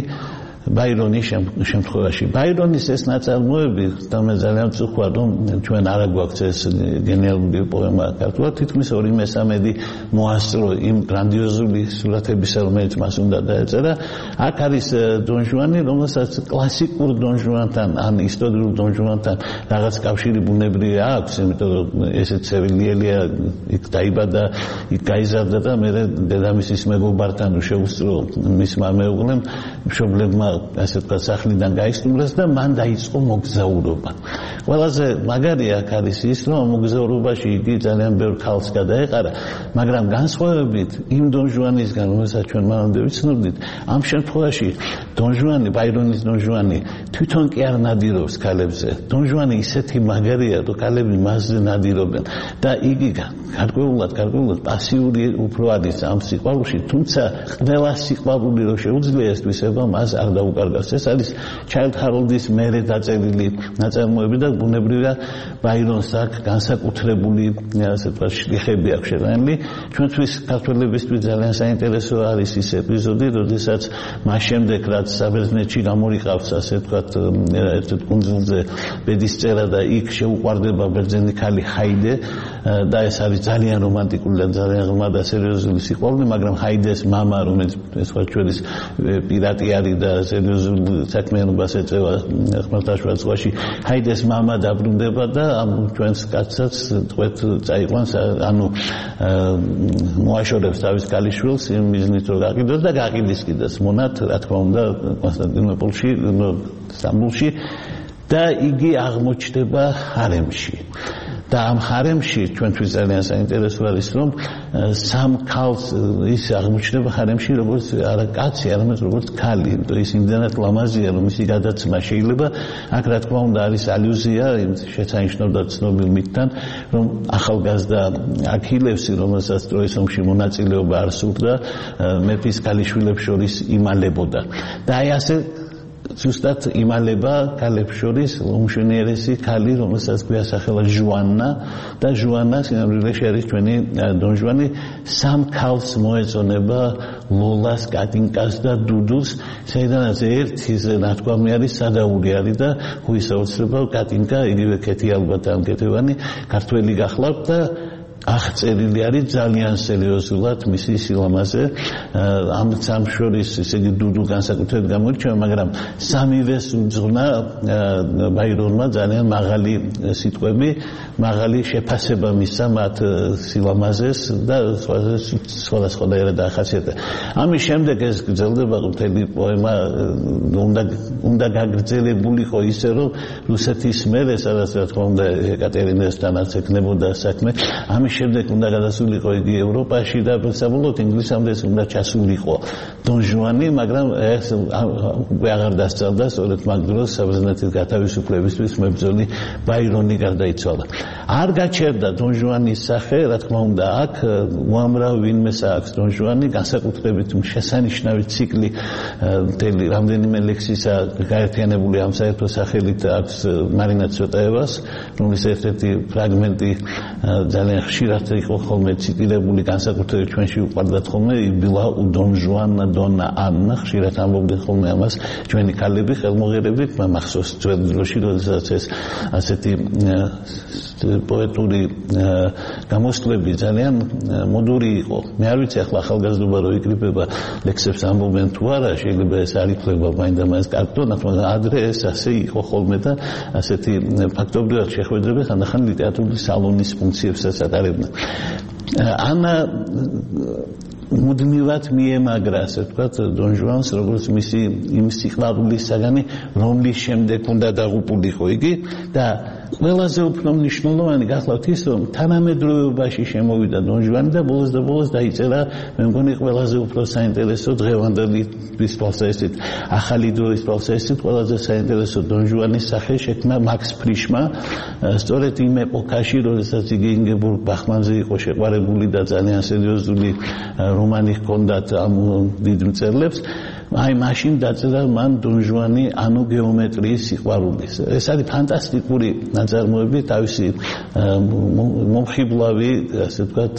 ბაირონის შემთხვევაში. ბაირონის ეს ნაწარმოები, და მე ძალიან ვწუხარ, რომ ჩვენ არ აგვაქვს ეს გენიალური პოემა ქართულად, თითქმის ორი მესამედი მოასწრო იმ გრანდიოზული სურათებისა, რომელიც მას უნდა დაეწერა. აქ არის დონ ჟუანი, რომელსაც კლასიკურ დონ ჟუანთან, ან ისტორიულ დონ ჟუანთან რაღაც კავშირი ბუნებრივია აქვს, იმიტომ რომ ესეც სევილიელია, იქ დაიბადა, იქ გაიზარდა და მე დედამისის მეგობართან შეუსწრო მისმა მეუღლემ, მშობლებმა ასე ვთქვათ სახლიდან გაისტუმრეს და მან დაიწყო მოგზაურობა. ყველაზე მაგარი აქ არის ის, რომ მოგზაურობაში იგი ძალიან ბევრ ქალს გადაეყარა, მაგრამ განსხვავებით იმ დონ ჟუანისგან, რომელსაც ჩვენ მანამდე ვიცნობდით, ამ შემთხვევაში დონ ჟუანი, ბაირონის დონ ჟუანი თვითონ კი არ ნადირობს ქალებზე. დონ ჟუანი ისეთი მაგარია, რომ ქალები მასზე ნადირობენ და იგი გარკვეულად, გარკვეულად პასიური უფრო არის ამ სიყვარულში, თუმცა ყველა სიყვარული რო შეუძლია ეს თვისება მას არ დაუკარგავს. ეს არის ჩაილდ ჰაროლდის მერე დაწერილი ნაწარმოები და ბუნებრივია ბაირონს აქვს განსაკუთრებული ასე ვთქვათ შრიხები აქვს შეტანილი. ჩვენთვის ქართველებისთვის ძალიან საინტერესო არის ის ეპიზოდი, როდესაც მას შემდეგ რაც საბერძნეთში გამორიყავს ასე ვთქვათ ერთ კუნძულზე ბედის წერა და იქ შეუყვარდება ბერძენი ქალი ჰაიდე და ეს არის ძალიან რომანტიკული და ძალიან ღრმა და სერიოზული სიყვარული, მაგრამ ჰაიდეს მამა, რომელიც ეს ვაჩვერის პირატი არის და სერიოზულ საქმიანობას ეწევა ხმელთაშუა ზღვაში, ჰაიდეს მამა დაბრუნდება და ამ ჩვენს კაცსაც თქვენ წაიყვანს, ანუ მოაშორებს თავის ქალიშვილს იმ მიზნით რომ გაყიდოს და გაყიდის კიდეც მონად, რა თქმა უნდა, კონსტანტინოპოლში, სტამბოლში და იგი აღმოჩნდება ჰარემში. და ამ ჰარემში ჩვენთვის ძალიან საინტერესო არის რომ სამ ქალს ის აღმოჩნდება ჰარემში როგორც არა კაცი, არამედ როგორც ქალი, იმიტომ ის იმდანაც ლამაზია რომ მისი გადაცემა შეიძლება აქ რა თქმა უნდა არის ალუზია იმ შეცანიშნავდა ცნობილ მითთან რომ ახალგაზრდა აქილევსი რომელსაც ტროის ომში მონაწილეობა არ სურდა მეფის ქალიშვილებს შორის იმალებოდა და აი ასე ზუსტად იმალება ქალებს შორის უმშვენიერესი ქალი, რომელსაც გვიასახელა ჟუანა და ჟუანა სინამდვილეში არის ჩვენი დონ ჟუანი სამ ქალს მოეწონება ლოლას, კატინკას და დუდულს, საიდანაც ერთის ნათქვამი არის სადაური არის და ხუის აუცილებლად კატინკა იგივე კეთი ალბათ ამ კეთევანი ქართველი გახლავთ და აღწერილი არის ძალიან სერიოზულად მისი სილამაზე ამ სამ შორის ესე იგი დუდუ განსაკუთრებით გამოირჩევა, მაგრამ სამივეს უძღვნა ბაირონმა ძალიან მაღალი სიტყვები, მაღალი შეფასება მისცა მათ სილამაზეს და სხვადასხვანაირად დაახასიათა. ამის შემდეგ ეს გრძელდება მთელი პოემა უნდა უნდა გაგრძელებულიყო ისე რომ რუსეთის მერე სადაც რა თქმა უნდა ეკატერინესთანაც ეკნებოდა საქმე, ამის შემდეგ უნდა გადასულიყო იგი ევროპაში და საბოლოოდ ინგლისამდე უნდა ჩასულიყო დონ ჟუანი, მაგრამ ეს უკვე აღარ დასწავდა, სწორედ მაგ დროს საბერძნეთის გათავისუფლებისთვის მებრძოლი ბაირონი გარდაიცვალა. არ გაჩერდა დონ ჟუანის სახე, რა თქმა უნდა, აქ უამრავ ვინმეს აქვს დონ ჟუანი, განსაკუთრებით შესანიშნავი ციკლი მთელი რამდენიმე ლექსისა გაერთიანებული ამ საერთო სახელით აქვს მარინა ცოტაევას, რომლის ერთ-ერთი ფრაგმენტი ძალიან ხშირად იყო ხოლმე ციტირებული, განსაკუთრებით ჩვენში უყვარდათ ხოლმე იბილა დონ ჟუანა დონა ანა, ხშირად ამბობდნენ ხოლმე ამას ჩვენი ქალები ხელმოღერებით, მახსოვს ძველ დროში, როდესაც ეს ასეთი პოეტური გამოსვლები ძალიან მოდური იყო. მე არ ვიცი ახლა ახალგაზრდობა რო იკრიბება ლექსებს ამბობენ თუ არა, შეიძლება ეს არ ითვლება მაინდა-მაინც კარგ, მაგრამ ადრე ეს ასე იყო ხოლმე და ასეთი ფაქტობრივად შეხვედრები ხანდახან ლიტერატურული სალონის ფუნქციებსაც ატარებდნენ. ანა მუდმივად მიემაგრა, ასე ვთქვათ, დონ ჟუანს, როგორც მისი იმ სიყვარულის საგანი, რომლის შემდეგ უნდა დაღუპულიყო იგი და ყველაზე უფრო მნიშვნელოვანი გახლავთ ის, რომ თანამედროვეობაში შემოვიდა დონ ჟუანი და ბოლოს და ბოლოს დაიწერა, მე მგონი ყველაზე უფრო საინტერესო დღევანდელი თვალსაზრისით, ახალი დროის თვალსაზრისით ყველაზე საინტერესო დონ ჟუანის სახე შექმნა მაქს ფრიშმა, სწორედ იმ ეპოქაში, როდესაც იგი ინგებორგ ბახმანზე იყო შეყვარებული და ძალიან სერიოზული რომანი ჰქონდათ ამ დიდ მწერლებს, აი მაშინ დაწერა მან დონ ჟუანი ანუ გეომეტრიის სიყვარულის. ეს არის ფანტასტიკური ნაწარმოები, თავისი მომხიბლავი, ასე ვთქვათ,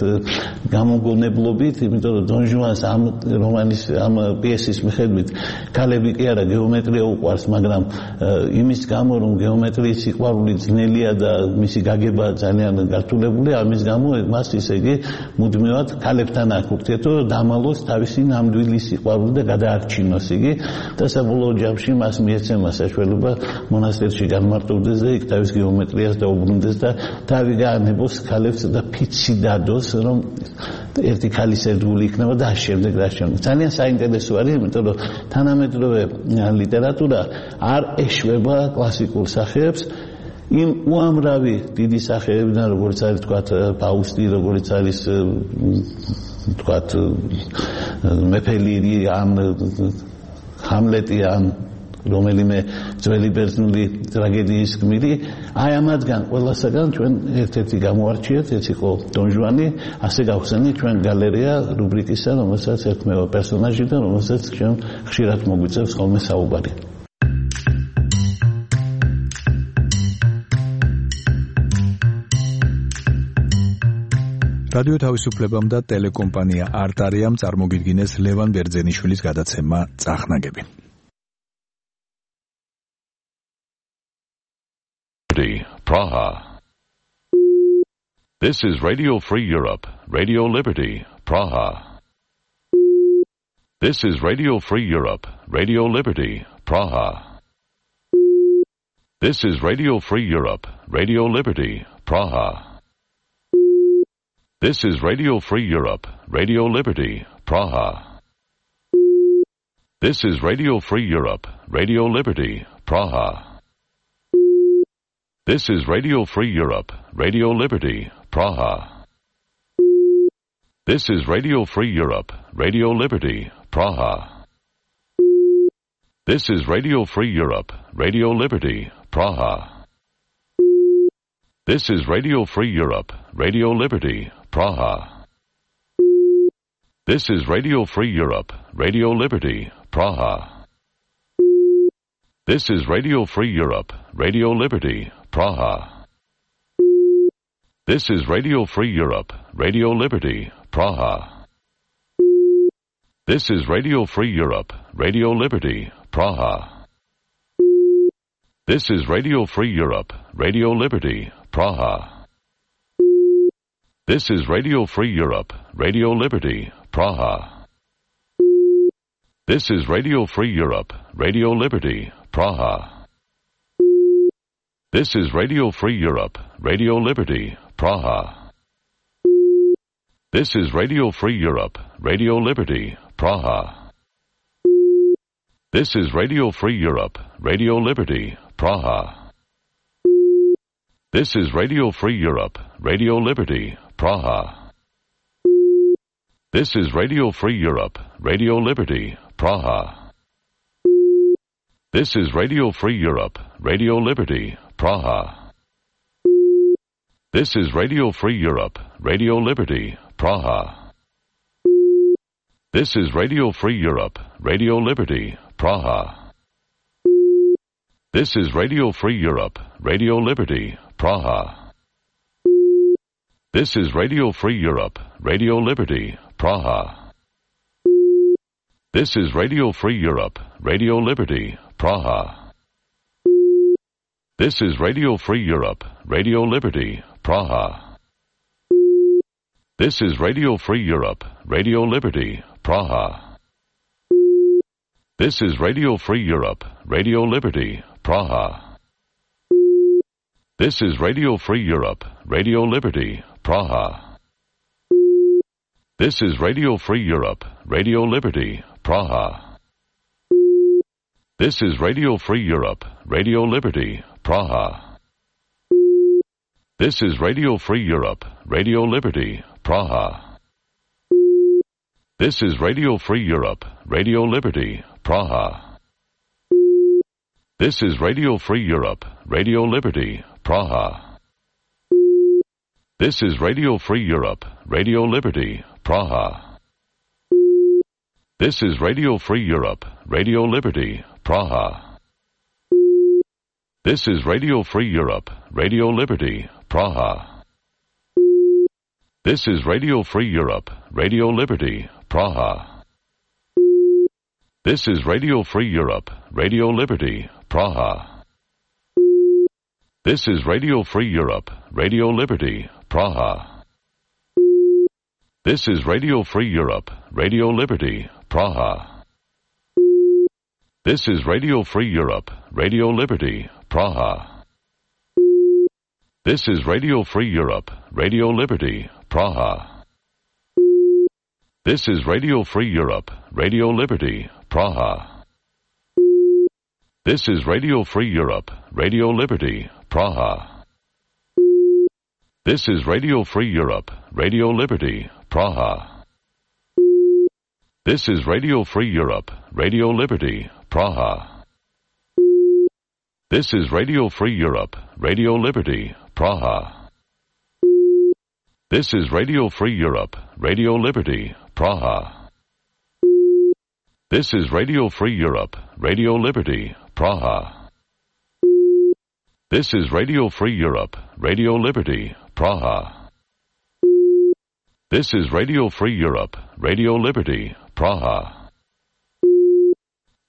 გამოგონებლობით, იმიტომ რომ დონ ჟუანს ამ რომანის, ამ პიესის მიხედვით ქალები კი არა გეომეტრია უყვარს, მაგრამ იმის გამო რომ გეომეტრიის სიყვარული ძნელია და მისი გაგება ძალიან გართულებულია, ამის გამო მას ისე იგი მუდმივად ქალებთან აქვს ურთიერთობა, დამალოს თავისი ნამდვილი სიყვარული და გადაარჩიოს გააშინოს იგი და საბოლოო ჯამში მას მიეცემა საშუალება მონასტერში განმარტოვდეს და იქ თავის გეომეტრიას დაუბრუნდეს და თავი გაანებოს ქალებს და ფიცი დადოს რომ ერთი ქალის ერთგული იქნება და შემდეგ რა შეგვიძლია. ძალიან საინტერესო არის, იმიტომ რომ თანამედროვე ლიტერატურა არ ეშვება კლასიკურ სახეებს იმ უამრავი დიდი სახეებიდან, როგორც არის თქვათ ფაუსტი, როგორც არის თქვათ მეფე ლირი ან ჰამლეტი ან რომელიმე ძველი ბერძნული ტრაგედიის გმირი, აი ამათგან ყველასაგან ჩვენ ერთ-ერთი გამოარჩიეთ, ეს იყო დონ ჟუანი, ასე გავხსენით ჩვენ გალერეა რუბრიკისა, რომელსაც ერთმევა პერსონაჟი და რომელსაც ჩვენ ხშირად მოგვიწევს ხოლმე საუბარი. რადიო თავისუფლებამ და ტელეკომპანია არტარიამ წარმოგიდგინეს ლევან ბერძენიშვილის გადაცემა წახნაგები. Praha. This is Radio Free Europe, Radio Liberty, Praha. This is Radio Free Europe, Radio Liberty, Praha. This is Radio Free Europe, Radio Liberty, Praha. This is Radio Free Europe, Radio Liberty, Praha. This is Radio Free Europe, Radio Liberty, Praha. This is Radio Free Europe, Radio Liberty, Praha. This is Radio Free Europe, Radio Liberty, Praha. This is Radio Free Europe, Radio Liberty, Praha. This is Radio Free Europe, Radio Liberty, Praha. This is Radio Free Europe, Radio Liberty, Praha. This is Radio Free Europe, Radio Liberty, Praha. This is Radio Free Europe, Radio Liberty, Praha. This is Radio Free Europe, Radio Liberty, Praha. This is Radio Free Europe, Radio Liberty, Praha. This is Radio Free Europe, Radio Liberty, Praha. This is Radio Free Europe, Radio Liberty, Praha. This is Radio Free Europe, Radio Liberty, Praha. This is Radio Free Europe, Radio Liberty, Praha. This is Radio Free Europe, Radio Liberty, Praha. This is Radio Free Europe, Radio Liberty, Praha. This is Radio Free Europe, Radio Liberty, Praha. This is Radio Free Europe, Radio Liberty, Praha. This is Radio Free Europe, Radio Liberty, Praha. This is Radio Free Europe, Radio Liberty, Praha. This is Radio Free Europe, Radio Liberty, Praha. This is Radio Free Europe, Radio Liberty, Praha. This is Radio Free Europe, Radio Liberty, Praha. This is Radio Free Europe, Radio Liberty, Praha. This is Radio Free Europe, Radio Liberty, Praha. This is Radio Free Europe, Radio Liberty, Praha. This is Radio Free Europe, Radio Liberty, Praha. This is Radio Free Europe, Radio Liberty, Praha. This is Radio Free Europe, Radio Liberty, Praha. This is Radio Free Europe, Radio Liberty, Praha. This is Radio Free Europe, Radio Liberty, Praha. This is Radio Free Europe, Radio Liberty, Praha. This is Radio Free Europe, Radio Liberty, Praha. This is Radio Free Europe, Radio Liberty, Praha. This is Radio Free Europe, Radio Liberty, Praha. This is Radio Free Europe, Radio Liberty, Praha. This is Radio Free Europe, Radio Liberty, Praha. This is Radio Free Europe, Radio Liberty, Praha. This is Radio Free Europe, Radio Liberty, Praha. This is Radio Free Europe, Radio Liberty, Praha. This is Radio Free Europe, Radio Liberty, Praha. This is Radio Free Europe, Radio Liberty, Praha. This is Radio Free Europe, Radio Liberty, Praha. This is Radio Free Europe, Radio Liberty, Praha. This is Radio Free Europe, Radio Liberty, Praha. This is Radio Free Europe, Radio Liberty, Praha. This is Radio Free Europe, Radio Liberty, Praha. This is Radio Free Europe, Radio Liberty, Praha. This is Radio Free Europe, Radio Liberty, Praha. This is Radio Free Europe, Radio Liberty, Praha.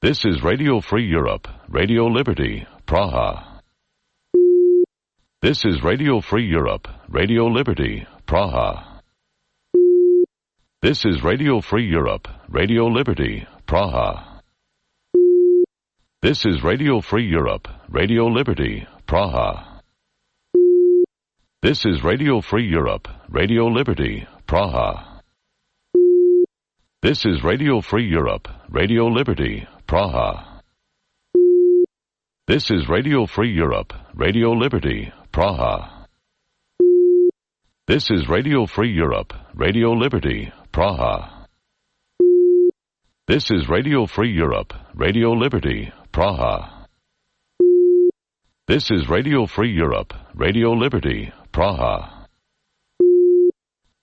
This is Radio Free Europe, Radio Liberty, Praha. This is Radio Free Europe, Radio Liberty, Praha. This is Radio Free Europe, Radio Liberty, Praha. This is Radio Free Europe, Radio Liberty, Praha. This is Radio Free Europe, Radio Liberty, Praha. This is Radio Free Europe, Radio Liberty, Praha. This is Radio Free Europe, Radio Liberty, Praha. This is Radio Free Europe, Radio Liberty, Praha. This is Radio Free Europe, Radio Liberty, Praha. This is Radio Free Europe, Radio Liberty, Praha.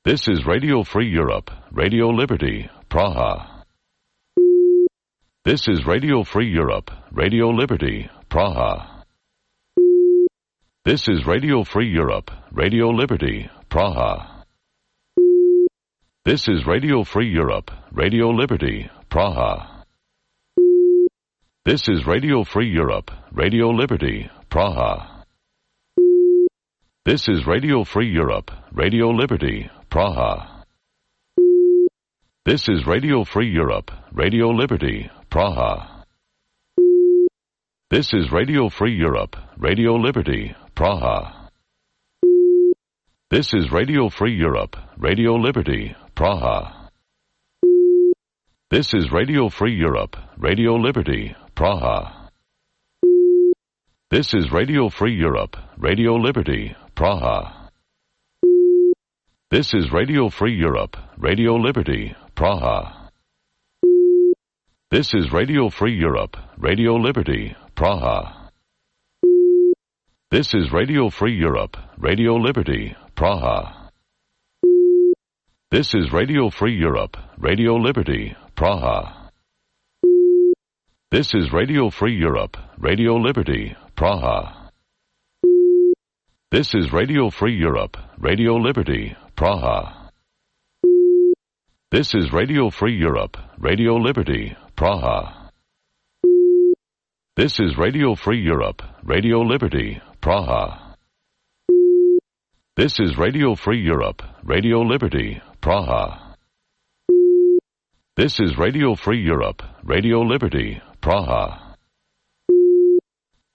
This is Radio Free Europe, Radio Liberty, Praha. This is Radio Free Europe, Radio Liberty, Praha. This is Radio Free Europe, Radio Liberty, Praha. This is Radio Free Europe, Radio Liberty, Praha. This is Radio Free Europe, Radio Liberty, Praha. This is Radio Free Europe, Radio Liberty, Praha. This is Radio Free Europe, Radio Liberty, Praha. This is Radio Free Europe, Radio Liberty, Praha. This is Radio Free Europe, Radio Liberty, Praha. This is Radio Free Europe, Radio Liberty, Praha. This is Radio Free Europe, Radio Liberty, Praha. This is Radio Free Europe, Radio Liberty, Praha. This is Radio Free Europe, Radio Liberty, Praha. This is Radio Free Europe, Radio Liberty, Praha. This is Radio Free Europe, Radio Liberty, Praha. This is Radio Free Europe, Radio Liberty, Praha. This is Radio Free Europe, Radio Liberty, Praha. This is Radio Free Europe, Radio Liberty, Praha. This is Radio Free Europe, Radio Liberty, Praha. This is Radio Free Europe, Radio Liberty, Praha. This is Radio Free Europe, Radio Liberty, Praha.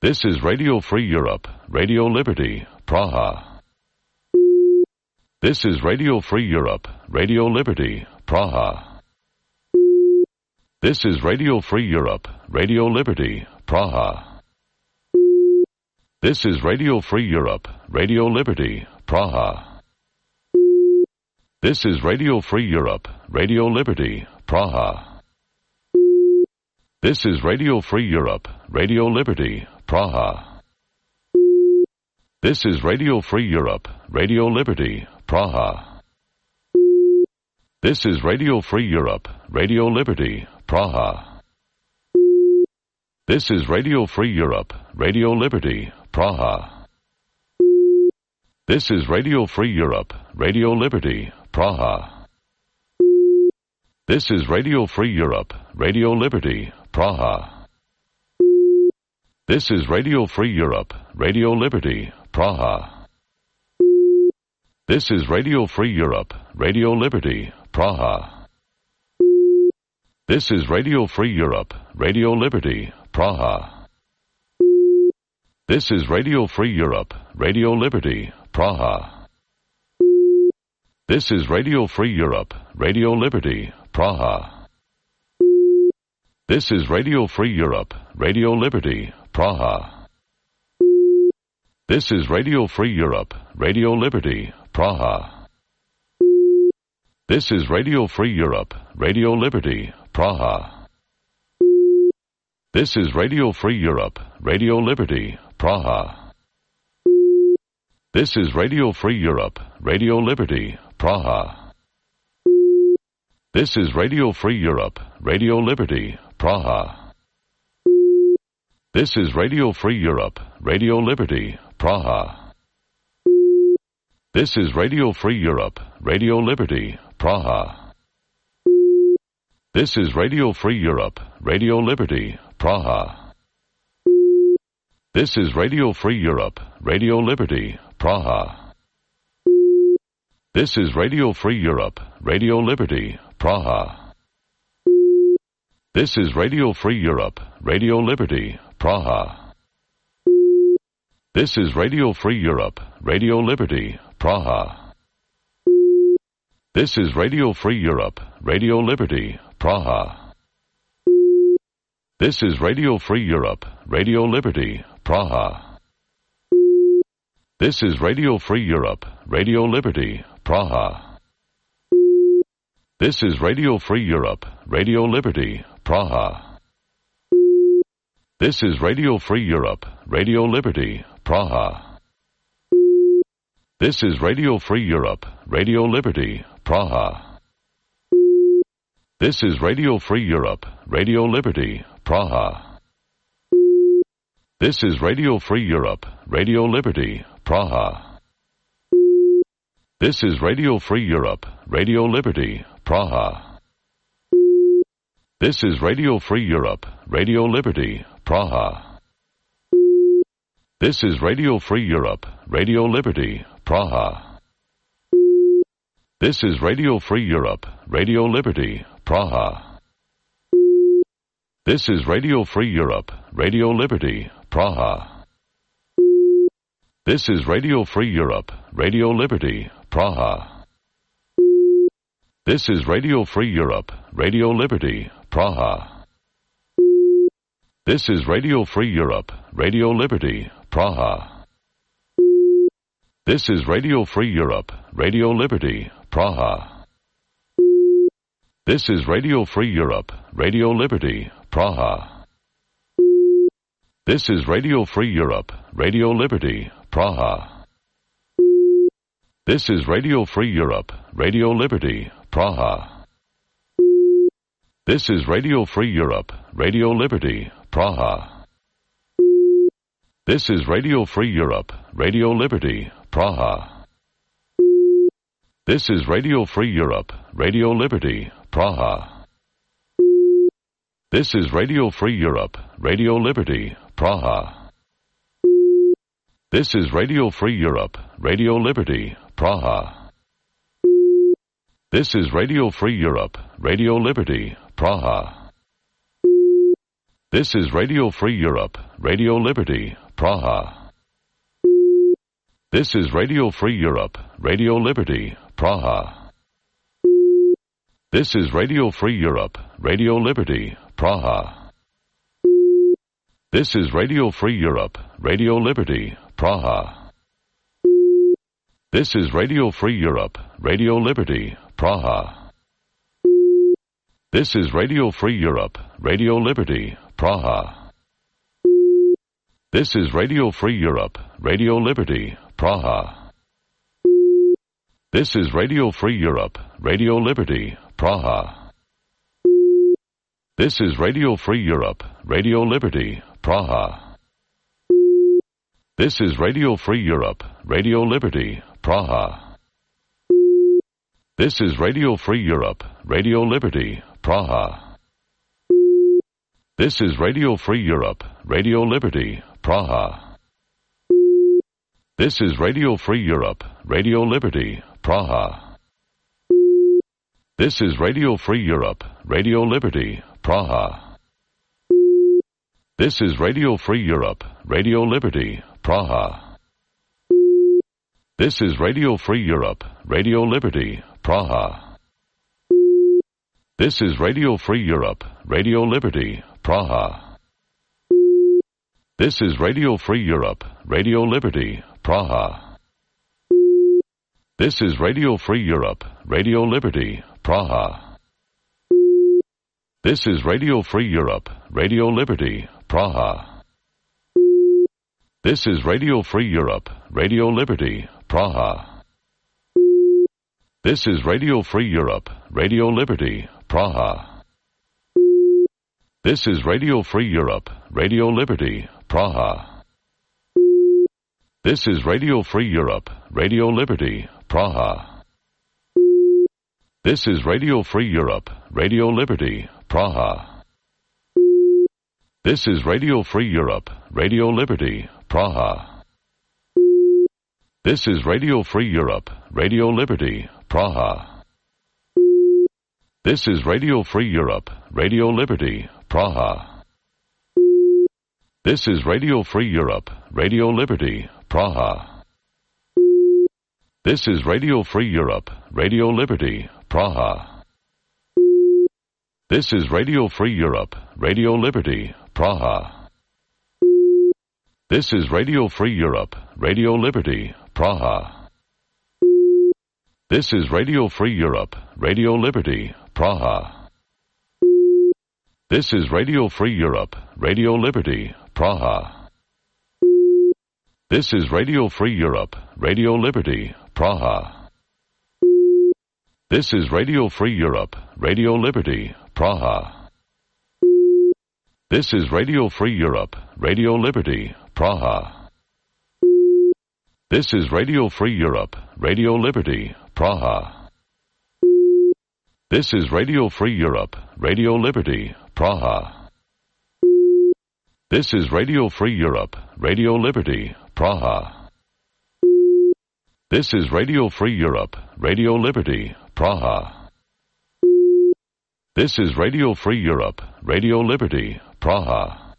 This is Radio Free Europe, Radio Liberty, Praha. This is Radio Free Europe, Radio Liberty, Praha. This is Radio Free Europe, Radio Liberty, Praha. This is Radio Free Europe, Radio Liberty, Praha. This is Radio Free Europe, Radio Liberty, Praha. This is Radio Free Europe, Radio Liberty, Praha. This is Radio Free Europe, Radio Liberty, Praha. This is Radio Free Europe, Radio Liberty, Praha. This is Radio Free Europe, Radio Liberty, Praha. This is Radio Free Europe, Radio Liberty, Praha. This is Radio Free Europe, Radio Liberty, Praha. This is Radio Free Europe, Radio Liberty, Praha. This is Radio Free Europe, Radio Liberty, Praha. This is Radio Free Europe, Radio Liberty, Praha. This is Radio Free Europe, Radio Liberty, Praha. This is Radio Free Europe, Radio Liberty, Praha. This is Radio Free Europe, Radio Liberty, Praha. This is Radio Free Europe, Radio Liberty, Praha. This is Radio Free Europe, Radio Liberty, Praha. This is Radio Free Europe, Radio Liberty, Praha. This is Radio Free Europe, Radio Liberty, Praha. This is Radio Free Europe, Radio Liberty, Praha. This is Radio Free Europe, Radio Liberty, Praha. This is Radio Free Europe, Radio Liberty, Praha. This is Radio Free Europe, Radio Liberty, Praha. This is Radio Free Europe, Radio Liberty, Praha. This is Radio Free Europe, Radio Liberty, Praha. This is Radio Free Europe, Radio Liberty, Praha. This is Radio Free Europe, Radio Liberty, Praha. This is Radio Free Europe, Radio Liberty, Praha. This is Radio Free Europe, Radio Liberty, Praha. This is Radio Free Europe, Radio Liberty, Praha. This is Radio Free Europe, Radio Liberty, Praha. This is Radio Free Europe, Radio Liberty, Praha. This is Radio Free Europe, Radio Liberty, Praha. This is Radio Free Europe, Radio Liberty, Praha. This is Radio Free Europe, Radio Liberty, Praha. This is Radio Free Europe, Radio Liberty, Praha. This is Radio Free Europe, Radio Liberty, Praha. This is Radio Free Europe, Radio Liberty, Praha. This is Radio Free Europe, Radio Liberty, Praha. This is Radio Free Europe, Radio Liberty, Praha. This is Radio Free Europe, Radio Liberty, Praha. This is Radio Free Europe, Radio Liberty, Praha. This is Radio Free Europe, Radio Liberty, Praha. This is Radio Free Europe, Radio Liberty, Praha. This is Radio Free Europe, Radio Liberty, Praha. This is Radio Free Europe, Radio Liberty, Praha. This is Radio Free Europe, Radio Liberty, Praha. This is Radio Free Europe, Radio Liberty, Praha. This is Radio Free Europe, Radio Liberty, Praha. This is Radio Free Europe, Radio Liberty, Praha. This is Radio Free Europe, Radio Liberty, Praha. This is Radio Free Europe, Radio Liberty, Praha. This is Radio Free Europe, Radio Liberty, Praha. This is Radio Free Europe, Radio Liberty, Praha. This is Radio Free Europe, Radio Liberty, Praha. This is Radio Free Europe, Radio Liberty, Praha. This is Radio Free Europe, Radio Liberty, Praha. This is Radio Free Europe, Radio Liberty, Praha. This is Radio Free Europe, Radio Liberty, Praha. This is Radio Free Europe, Radio Liberty, Praha. This is Radio Free Europe, Radio Liberty, Praha. This is Radio Free Europe, Radio Liberty, Praha. This is Radio Free Europe, Radio Liberty, Praha. This is Radio Free Europe, Radio Liberty, Praha. This is Radio Free Europe, Radio Liberty, Praha. This is Radio Free Europe, Radio Liberty, Praha. This is Radio Free Europe, Radio Liberty, Praha. This is Radio Free Europe, Radio Liberty, Praha. This is Radio Free Europe, Radio Liberty, Praha. This is Radio Free Europe, Radio Liberty, Praha. This is Radio Free Europe, Radio Liberty, Praha. This is Radio Free Europe, Radio Liberty, Praha. This is Radio Free Europe, Radio Liberty, Praha. This is Radio Free Europe, Radio Liberty, Praha. This is Radio Free Europe, Radio Liberty, Praha. This is Radio Free Europe, Radio Liberty, Praha. This is Radio Free Europe, Radio Liberty, Praha. This is Radio Free Europe, Radio Liberty, Praha. This is Radio Free Europe, Radio Liberty, Praha. This is Radio Free Europe, Radio Liberty, Praha. This is Radio Free Europe, Radio Liberty, Praha. This is Radio Free Europe, Radio Liberty, Praha. This is Radio Free Europe, Radio Liberty, Praha. This is Radio Free Europe, Radio Liberty, Praha. This is Radio Free Europe, Radio Liberty, Praha. This is Radio Free Europe, Radio Liberty, Praha. This is Radio Free Europe, Radio Liberty, Praha. This is Radio Free Europe, Radio Liberty, Praha. This is Radio Free Europe, Radio Liberty, Praha. This is Radio Free Europe, Radio Liberty, Praha. This is Radio Free Europe, Radio Liberty, Praha. This is Radio Free Europe, Radio Liberty, Praha. This is Radio Free Europe, Radio Liberty, Praha. This is Radio Free Europe, Radio Liberty, Praha. This is Radio Free Europe, Radio Liberty, Praha.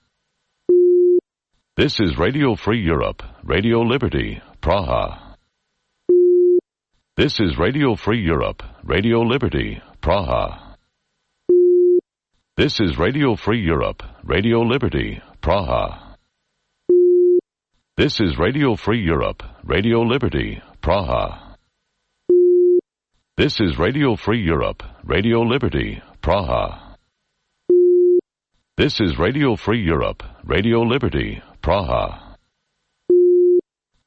This is Radio Free Europe, Radio Liberty, Praha. This is Radio Free Europe, Radio Liberty, Praha. This is Radio Free Europe, Radio Liberty, Praha. This is Radio Free Europe, Radio Liberty, Praha. This is Radio Free Europe, Radio Liberty, Praha. This is Radio Free Europe, Radio Liberty, Praha.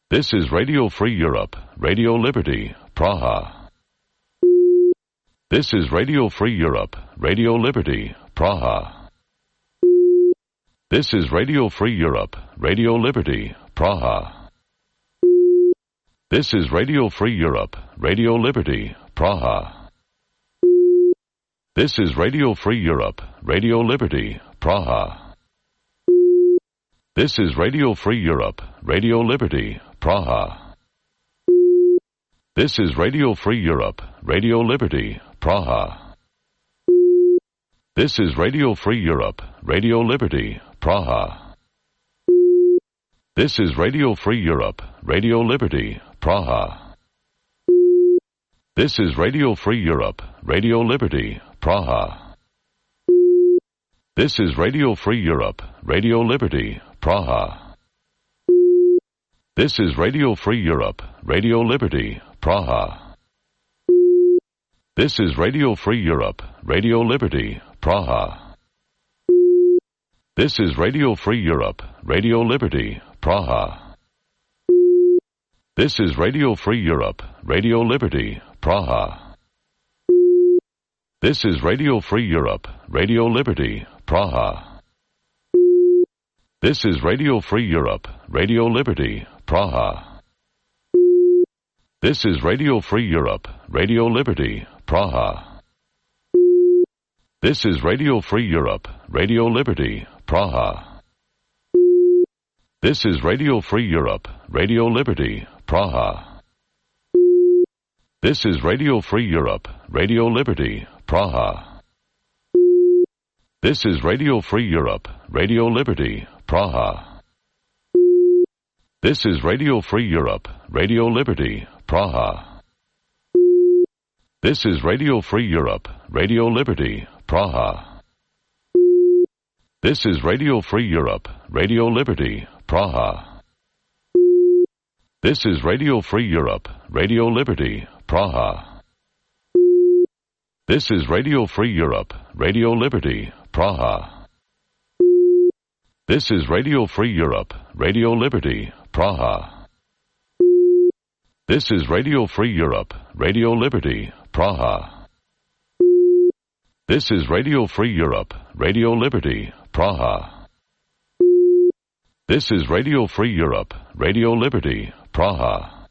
This is Radio Free Europe, Radio Liberty, Praha. This is Radio Free Europe, Radio Liberty, Praha. This is Radio Free Europe, Radio Liberty, Praha. This is Radio Free Europe, Radio Liberty, Praha. This is Radio Free Europe, Radio Liberty, Praha. This is Radio Free Europe, Radio Liberty, Praha. This is Radio Free Europe, Radio Liberty, Praha. This is Radio Free Europe, Radio Liberty, Praha. This is Radio Free Europe, Radio Liberty, Praha. This is Radio Free Europe, Radio Liberty, Praha. This is Radio Free Europe, Radio Liberty, Praha. This is Radio Free Europe, Radio Liberty, Praha. This is Radio Free Europe, Radio Liberty, Praha. This is Radio Free Europe, Radio Liberty, Praha. This is Radio Free Europe, Radio Liberty, Praha. This is Radio Free Europe, Radio Liberty, Praha. This is Radio Free Europe, Radio Liberty, Praha. This is Radio Free Europe, Radio Liberty, Praha. This is Radio Free Europe, Radio Liberty, Praha. This is Radio Free Europe, Radio Liberty, Praha. This is Radio Free Europe, Radio Liberty, Praha. This is Radio Free Europe, Radio Liberty, Praha. This is Radio Free Europe, Radio Liberty, Praha. This is Radio Free Europe, Radio Liberty, Praha. This is Radio Free Europe, Radio Liberty, Praha. This is Radio Free Europe, Radio Liberty, Praha. This is Radio Free Europe, Radio Liberty, Praha. This is Radio Free Europe, Radio Liberty, Praha. This is Radio Free Europe, Radio Liberty, Praha. This is Radio Free Europe, Radio Liberty, Praha. This is Radio Free Europe, Radio Liberty, Praha.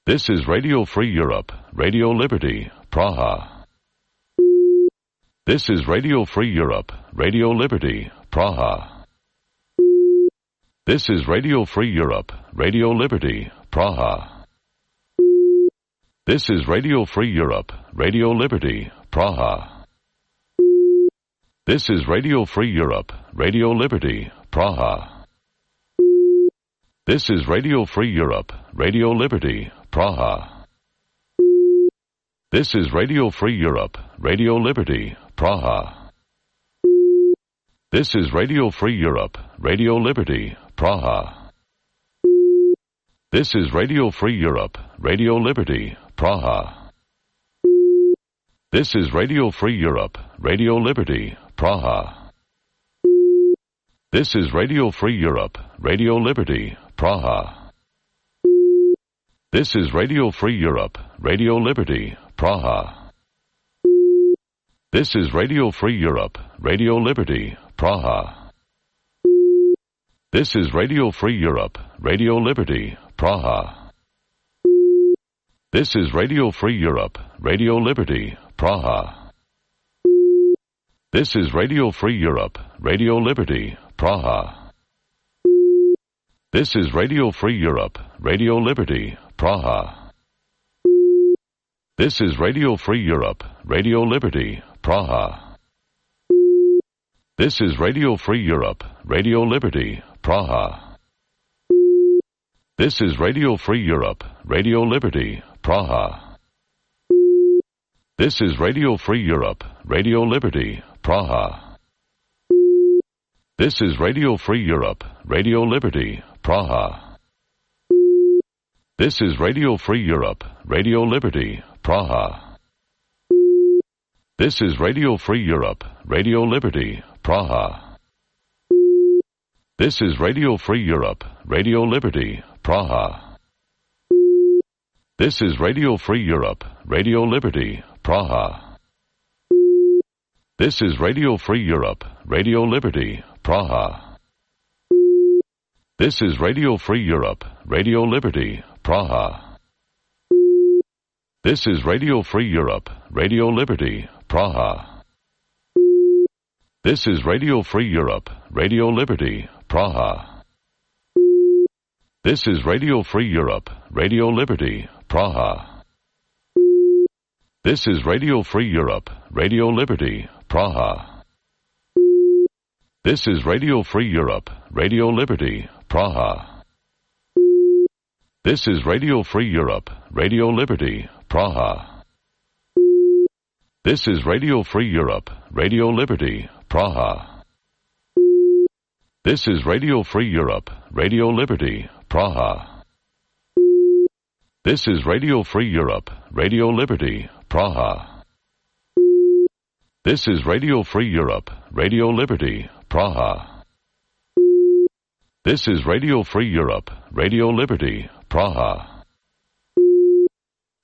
This is Radio Free Europe, Radio Liberty, Praha. This is Radio Free Europe, Radio Liberty, Praha. This is Radio Free Europe, Radio Liberty, Praha. This is Radio Free Europe, Radio Liberty, Praha. This is Radio Free Europe, Radio Liberty, Praha. This is Radio Free Europe, Radio Liberty, Praha. This is Radio Free Europe, Radio Liberty, Praha. This is Radio Free Europe, Radio Liberty, Praha. This is Radio Free Europe, Radio Liberty, Praha. This is Radio Free Europe, Radio Liberty, Praha. This is Radio Free Europe, Radio Liberty, Praha. This is Radio Free Europe, Radio Liberty, Praha. This is Radio Free Europe, Radio Liberty, Praha. This is Radio Free Europe, Radio Liberty, Praha. This is Radio Free Europe, Radio Liberty, Praha. This is Radio Free Europe, Radio Liberty, Praha. This is Radio Free Europe, Radio Liberty, Praha. This is Radio Free Europe, Radio Liberty, Praha. This is Radio Free Europe, Radio Liberty, Praha. This is Radio Free Europe, Radio Liberty, Praha. This is Radio Free Europe, Radio Liberty, Praha. This is Radio Free Europe, Radio Liberty, Praha. This is Radio Free Europe, Radio Liberty, Praha. This is Radio Free Europe, Radio Liberty, Praha. This is Radio Free Europe, Radio Liberty, Praha. This is Radio Free Europe, Radio Liberty, Praha. This is Radio Free Europe, Radio Liberty, Praha. This is Radio Free Europe, Radio Liberty, Praha. This is Radio Free Europe, Radio Liberty, Praha. This is Radio Free Europe, Radio Liberty, Praha. This is Radio Free Europe, Radio Liberty, Praha. This is Radio Free Europe, Radio Liberty, Praha. This is Radio Free Europe, Radio Liberty, Praha. This is Radio Free Europe, Radio Liberty, Praha. This is Radio Free Europe, Radio Liberty, Praha. This is Radio Free Europe, Radio Liberty, Praha. This is Radio Free Europe, Radio Liberty, Praha. This is Radio Free Europe, Radio Liberty, Praha. This is Radio Free Europe, Radio Liberty, Praha.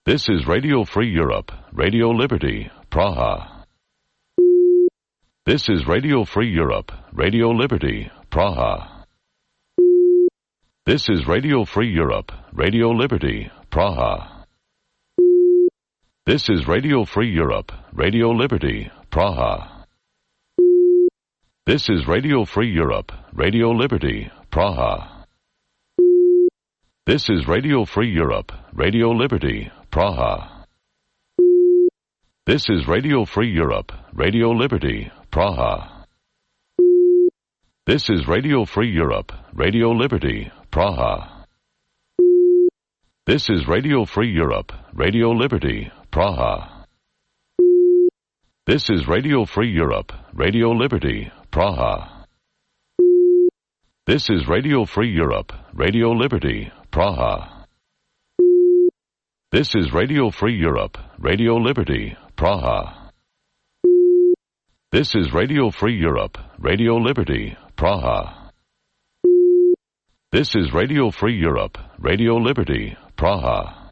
This is Radio Free Europe, Radio Liberty, Praha. This is Radio Free Europe, Radio Liberty, Praha. This is Radio Free Europe, Radio Liberty, Praha. This is Radio Free Europe, Radio Liberty, Praha. This is Radio Free Europe, Radio Liberty, Praha. This is Radio Free Europe, Radio Liberty, Praha. This is Radio Free Europe, Radio Liberty, Praha. This is Radio Free Europe, Radio Liberty, Praha. This is Radio Free Europe, Radio Liberty, Praha. This is Radio Free Europe, Radio Liberty, Praha. This is Radio Free Europe, Radio Liberty, Praha. This is Radio Free Europe, Radio Liberty, Praha. This is Radio Free Europe, Radio Liberty, Praha. This is Radio Free Europe, Radio Liberty, Praha.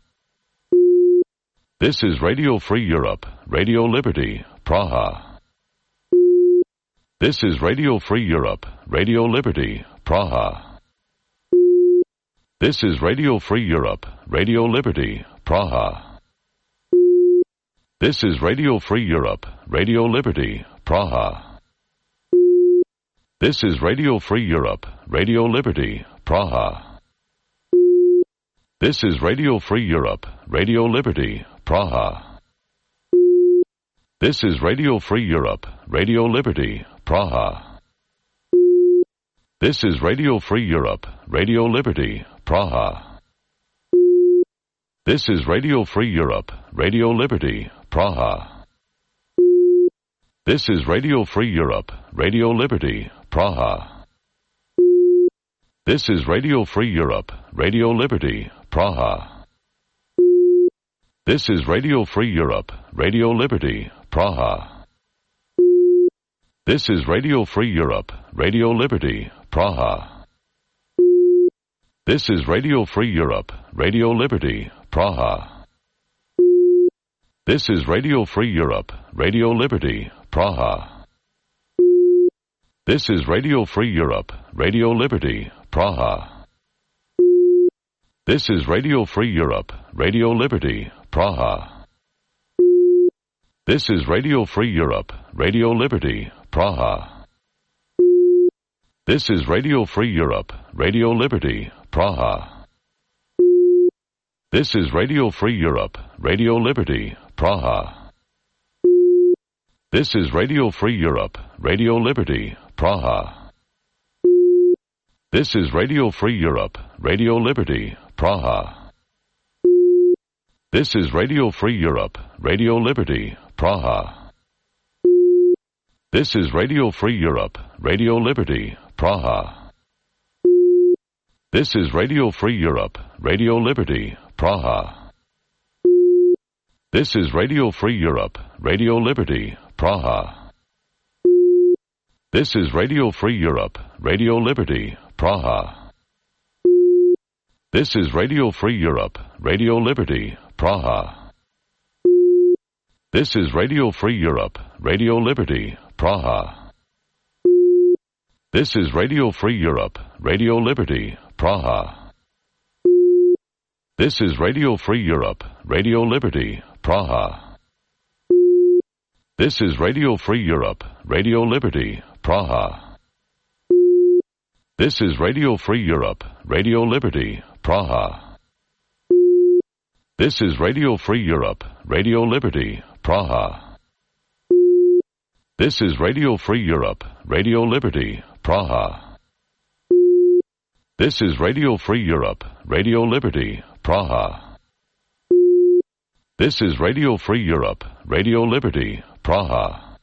This is Radio Free Europe, Radio Liberty, Praha. This is Radio Free Europe, Radio Liberty, Praha. This is Radio Free Europe, Radio Liberty, Praha. This is Radio Free Europe, Radio Liberty, Praha. This is Radio Free Europe, Radio Liberty, Praha. This is Radio Free Europe, Radio Liberty, Praha. This is Radio Free Europe, Radio Liberty, Praha. This is Radio Free Europe, Radio Liberty, Praha. This is Radio Free Europe, Radio Liberty, Praha. This is Radio Free Europe, Radio Liberty, Praha. This is Radio Free Europe, Radio Liberty, Praha. This is Radio Free Europe, Radio Liberty, Praha. This is Radio Free Europe, Radio Liberty, Praha. This is Radio Free Europe, Radio Liberty, Praha. This is Radio Free Europe, Radio Liberty, Praha. This is Radio Free Europe, Radio Liberty, Praha. This is Radio Free Europe, Radio Liberty, Praha. This is Radio Free Europe, Radio Liberty, Praha. This is Radio Free Europe, Radio Liberty, Praha. This is Radio Free Europe, Radio Liberty, Praha. This is Radio Free Europe, Radio Liberty, Praha. This is Radio Free Europe, Radio Liberty, Praha. This is Radio Free Europe, Radio Liberty, Praha. This is Radio Free Europe, Radio Liberty, Praha. This is Radio Free Europe, Radio Liberty, Praha. This is Radio Free Europe, Radio Liberty, Praha. This is Radio Free Europe, Radio Liberty, Praha. This is Radio Free Europe, Radio Liberty, Praha. This is Radio Free Europe, Radio Liberty, Praha. This is Radio Free Europe, Radio Liberty, Praha. This is Radio Free Europe, Radio Liberty, Praha. This is Radio Free Europe, Radio Liberty, Praha. This is Radio Free Europe, Radio Liberty, Praha. This is Radio Free Europe, Radio Liberty, Praha. This is Radio Free Europe, Radio Liberty, Praha. This is Radio Free Europe, Radio Liberty, Praha. This is Radio Free Europe, Radio Liberty, Praha.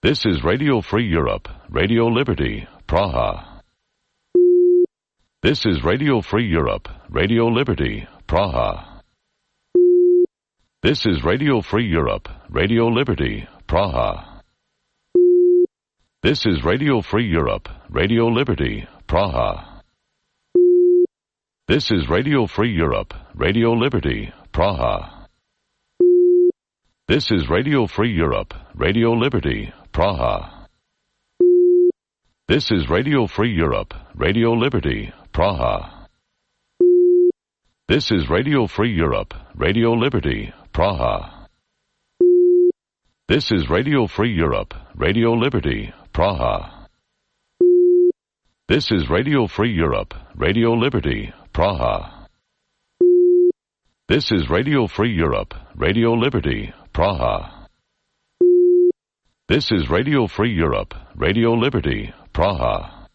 This is Radio Free Europe, Radio Liberty, Praha. This is Radio Free Europe, Radio Liberty, Praha. This is Radio Free Europe, Radio Liberty, Praha. This is Radio Free Europe, Radio Liberty, Praha. This is Radio Free Europe, Radio Liberty, Praha. This is Radio Free Europe, Radio Liberty, Praha. This is Radio Free Europe, Radio Liberty, Praha. This is Radio Free Europe, Radio Liberty, Praha. This is Radio Free Europe, Radio Liberty, Praha. This is Radio Free Europe, Radio Liberty, Praha. This is Radio Free Europe, Radio Liberty, Praha. This is Radio Free Europe, Radio Liberty, Praha.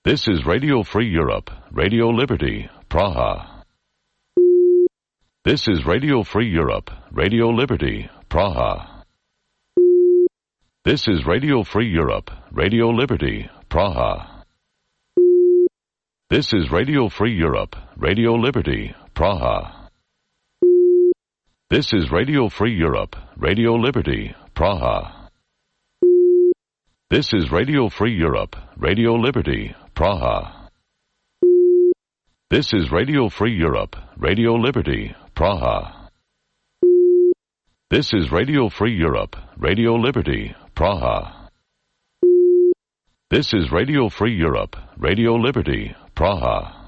This is Radio Free Europe, Radio Liberty, Praha. This is Radio Free Europe, Radio Liberty, Praha. This is Radio Free Europe, Radio Liberty, Praha. This is Radio Free Europe, Radio Liberty, Praha. This is Radio Free Europe, Radio Liberty, Praha. This is Radio Free Europe, Radio Liberty, Praha. This is Radio Free Europe, Radio Liberty, Praha. This is Radio Free Europe, Radio Liberty, Praha. This is Radio Free Europe, Radio Liberty, Praha.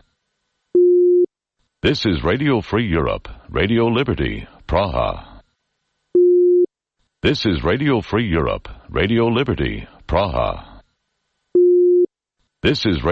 This is Radio Free Europe, Radio Liberty, Praha. This is Radio Free Europe, Radio Liberty, Praha. This is Radio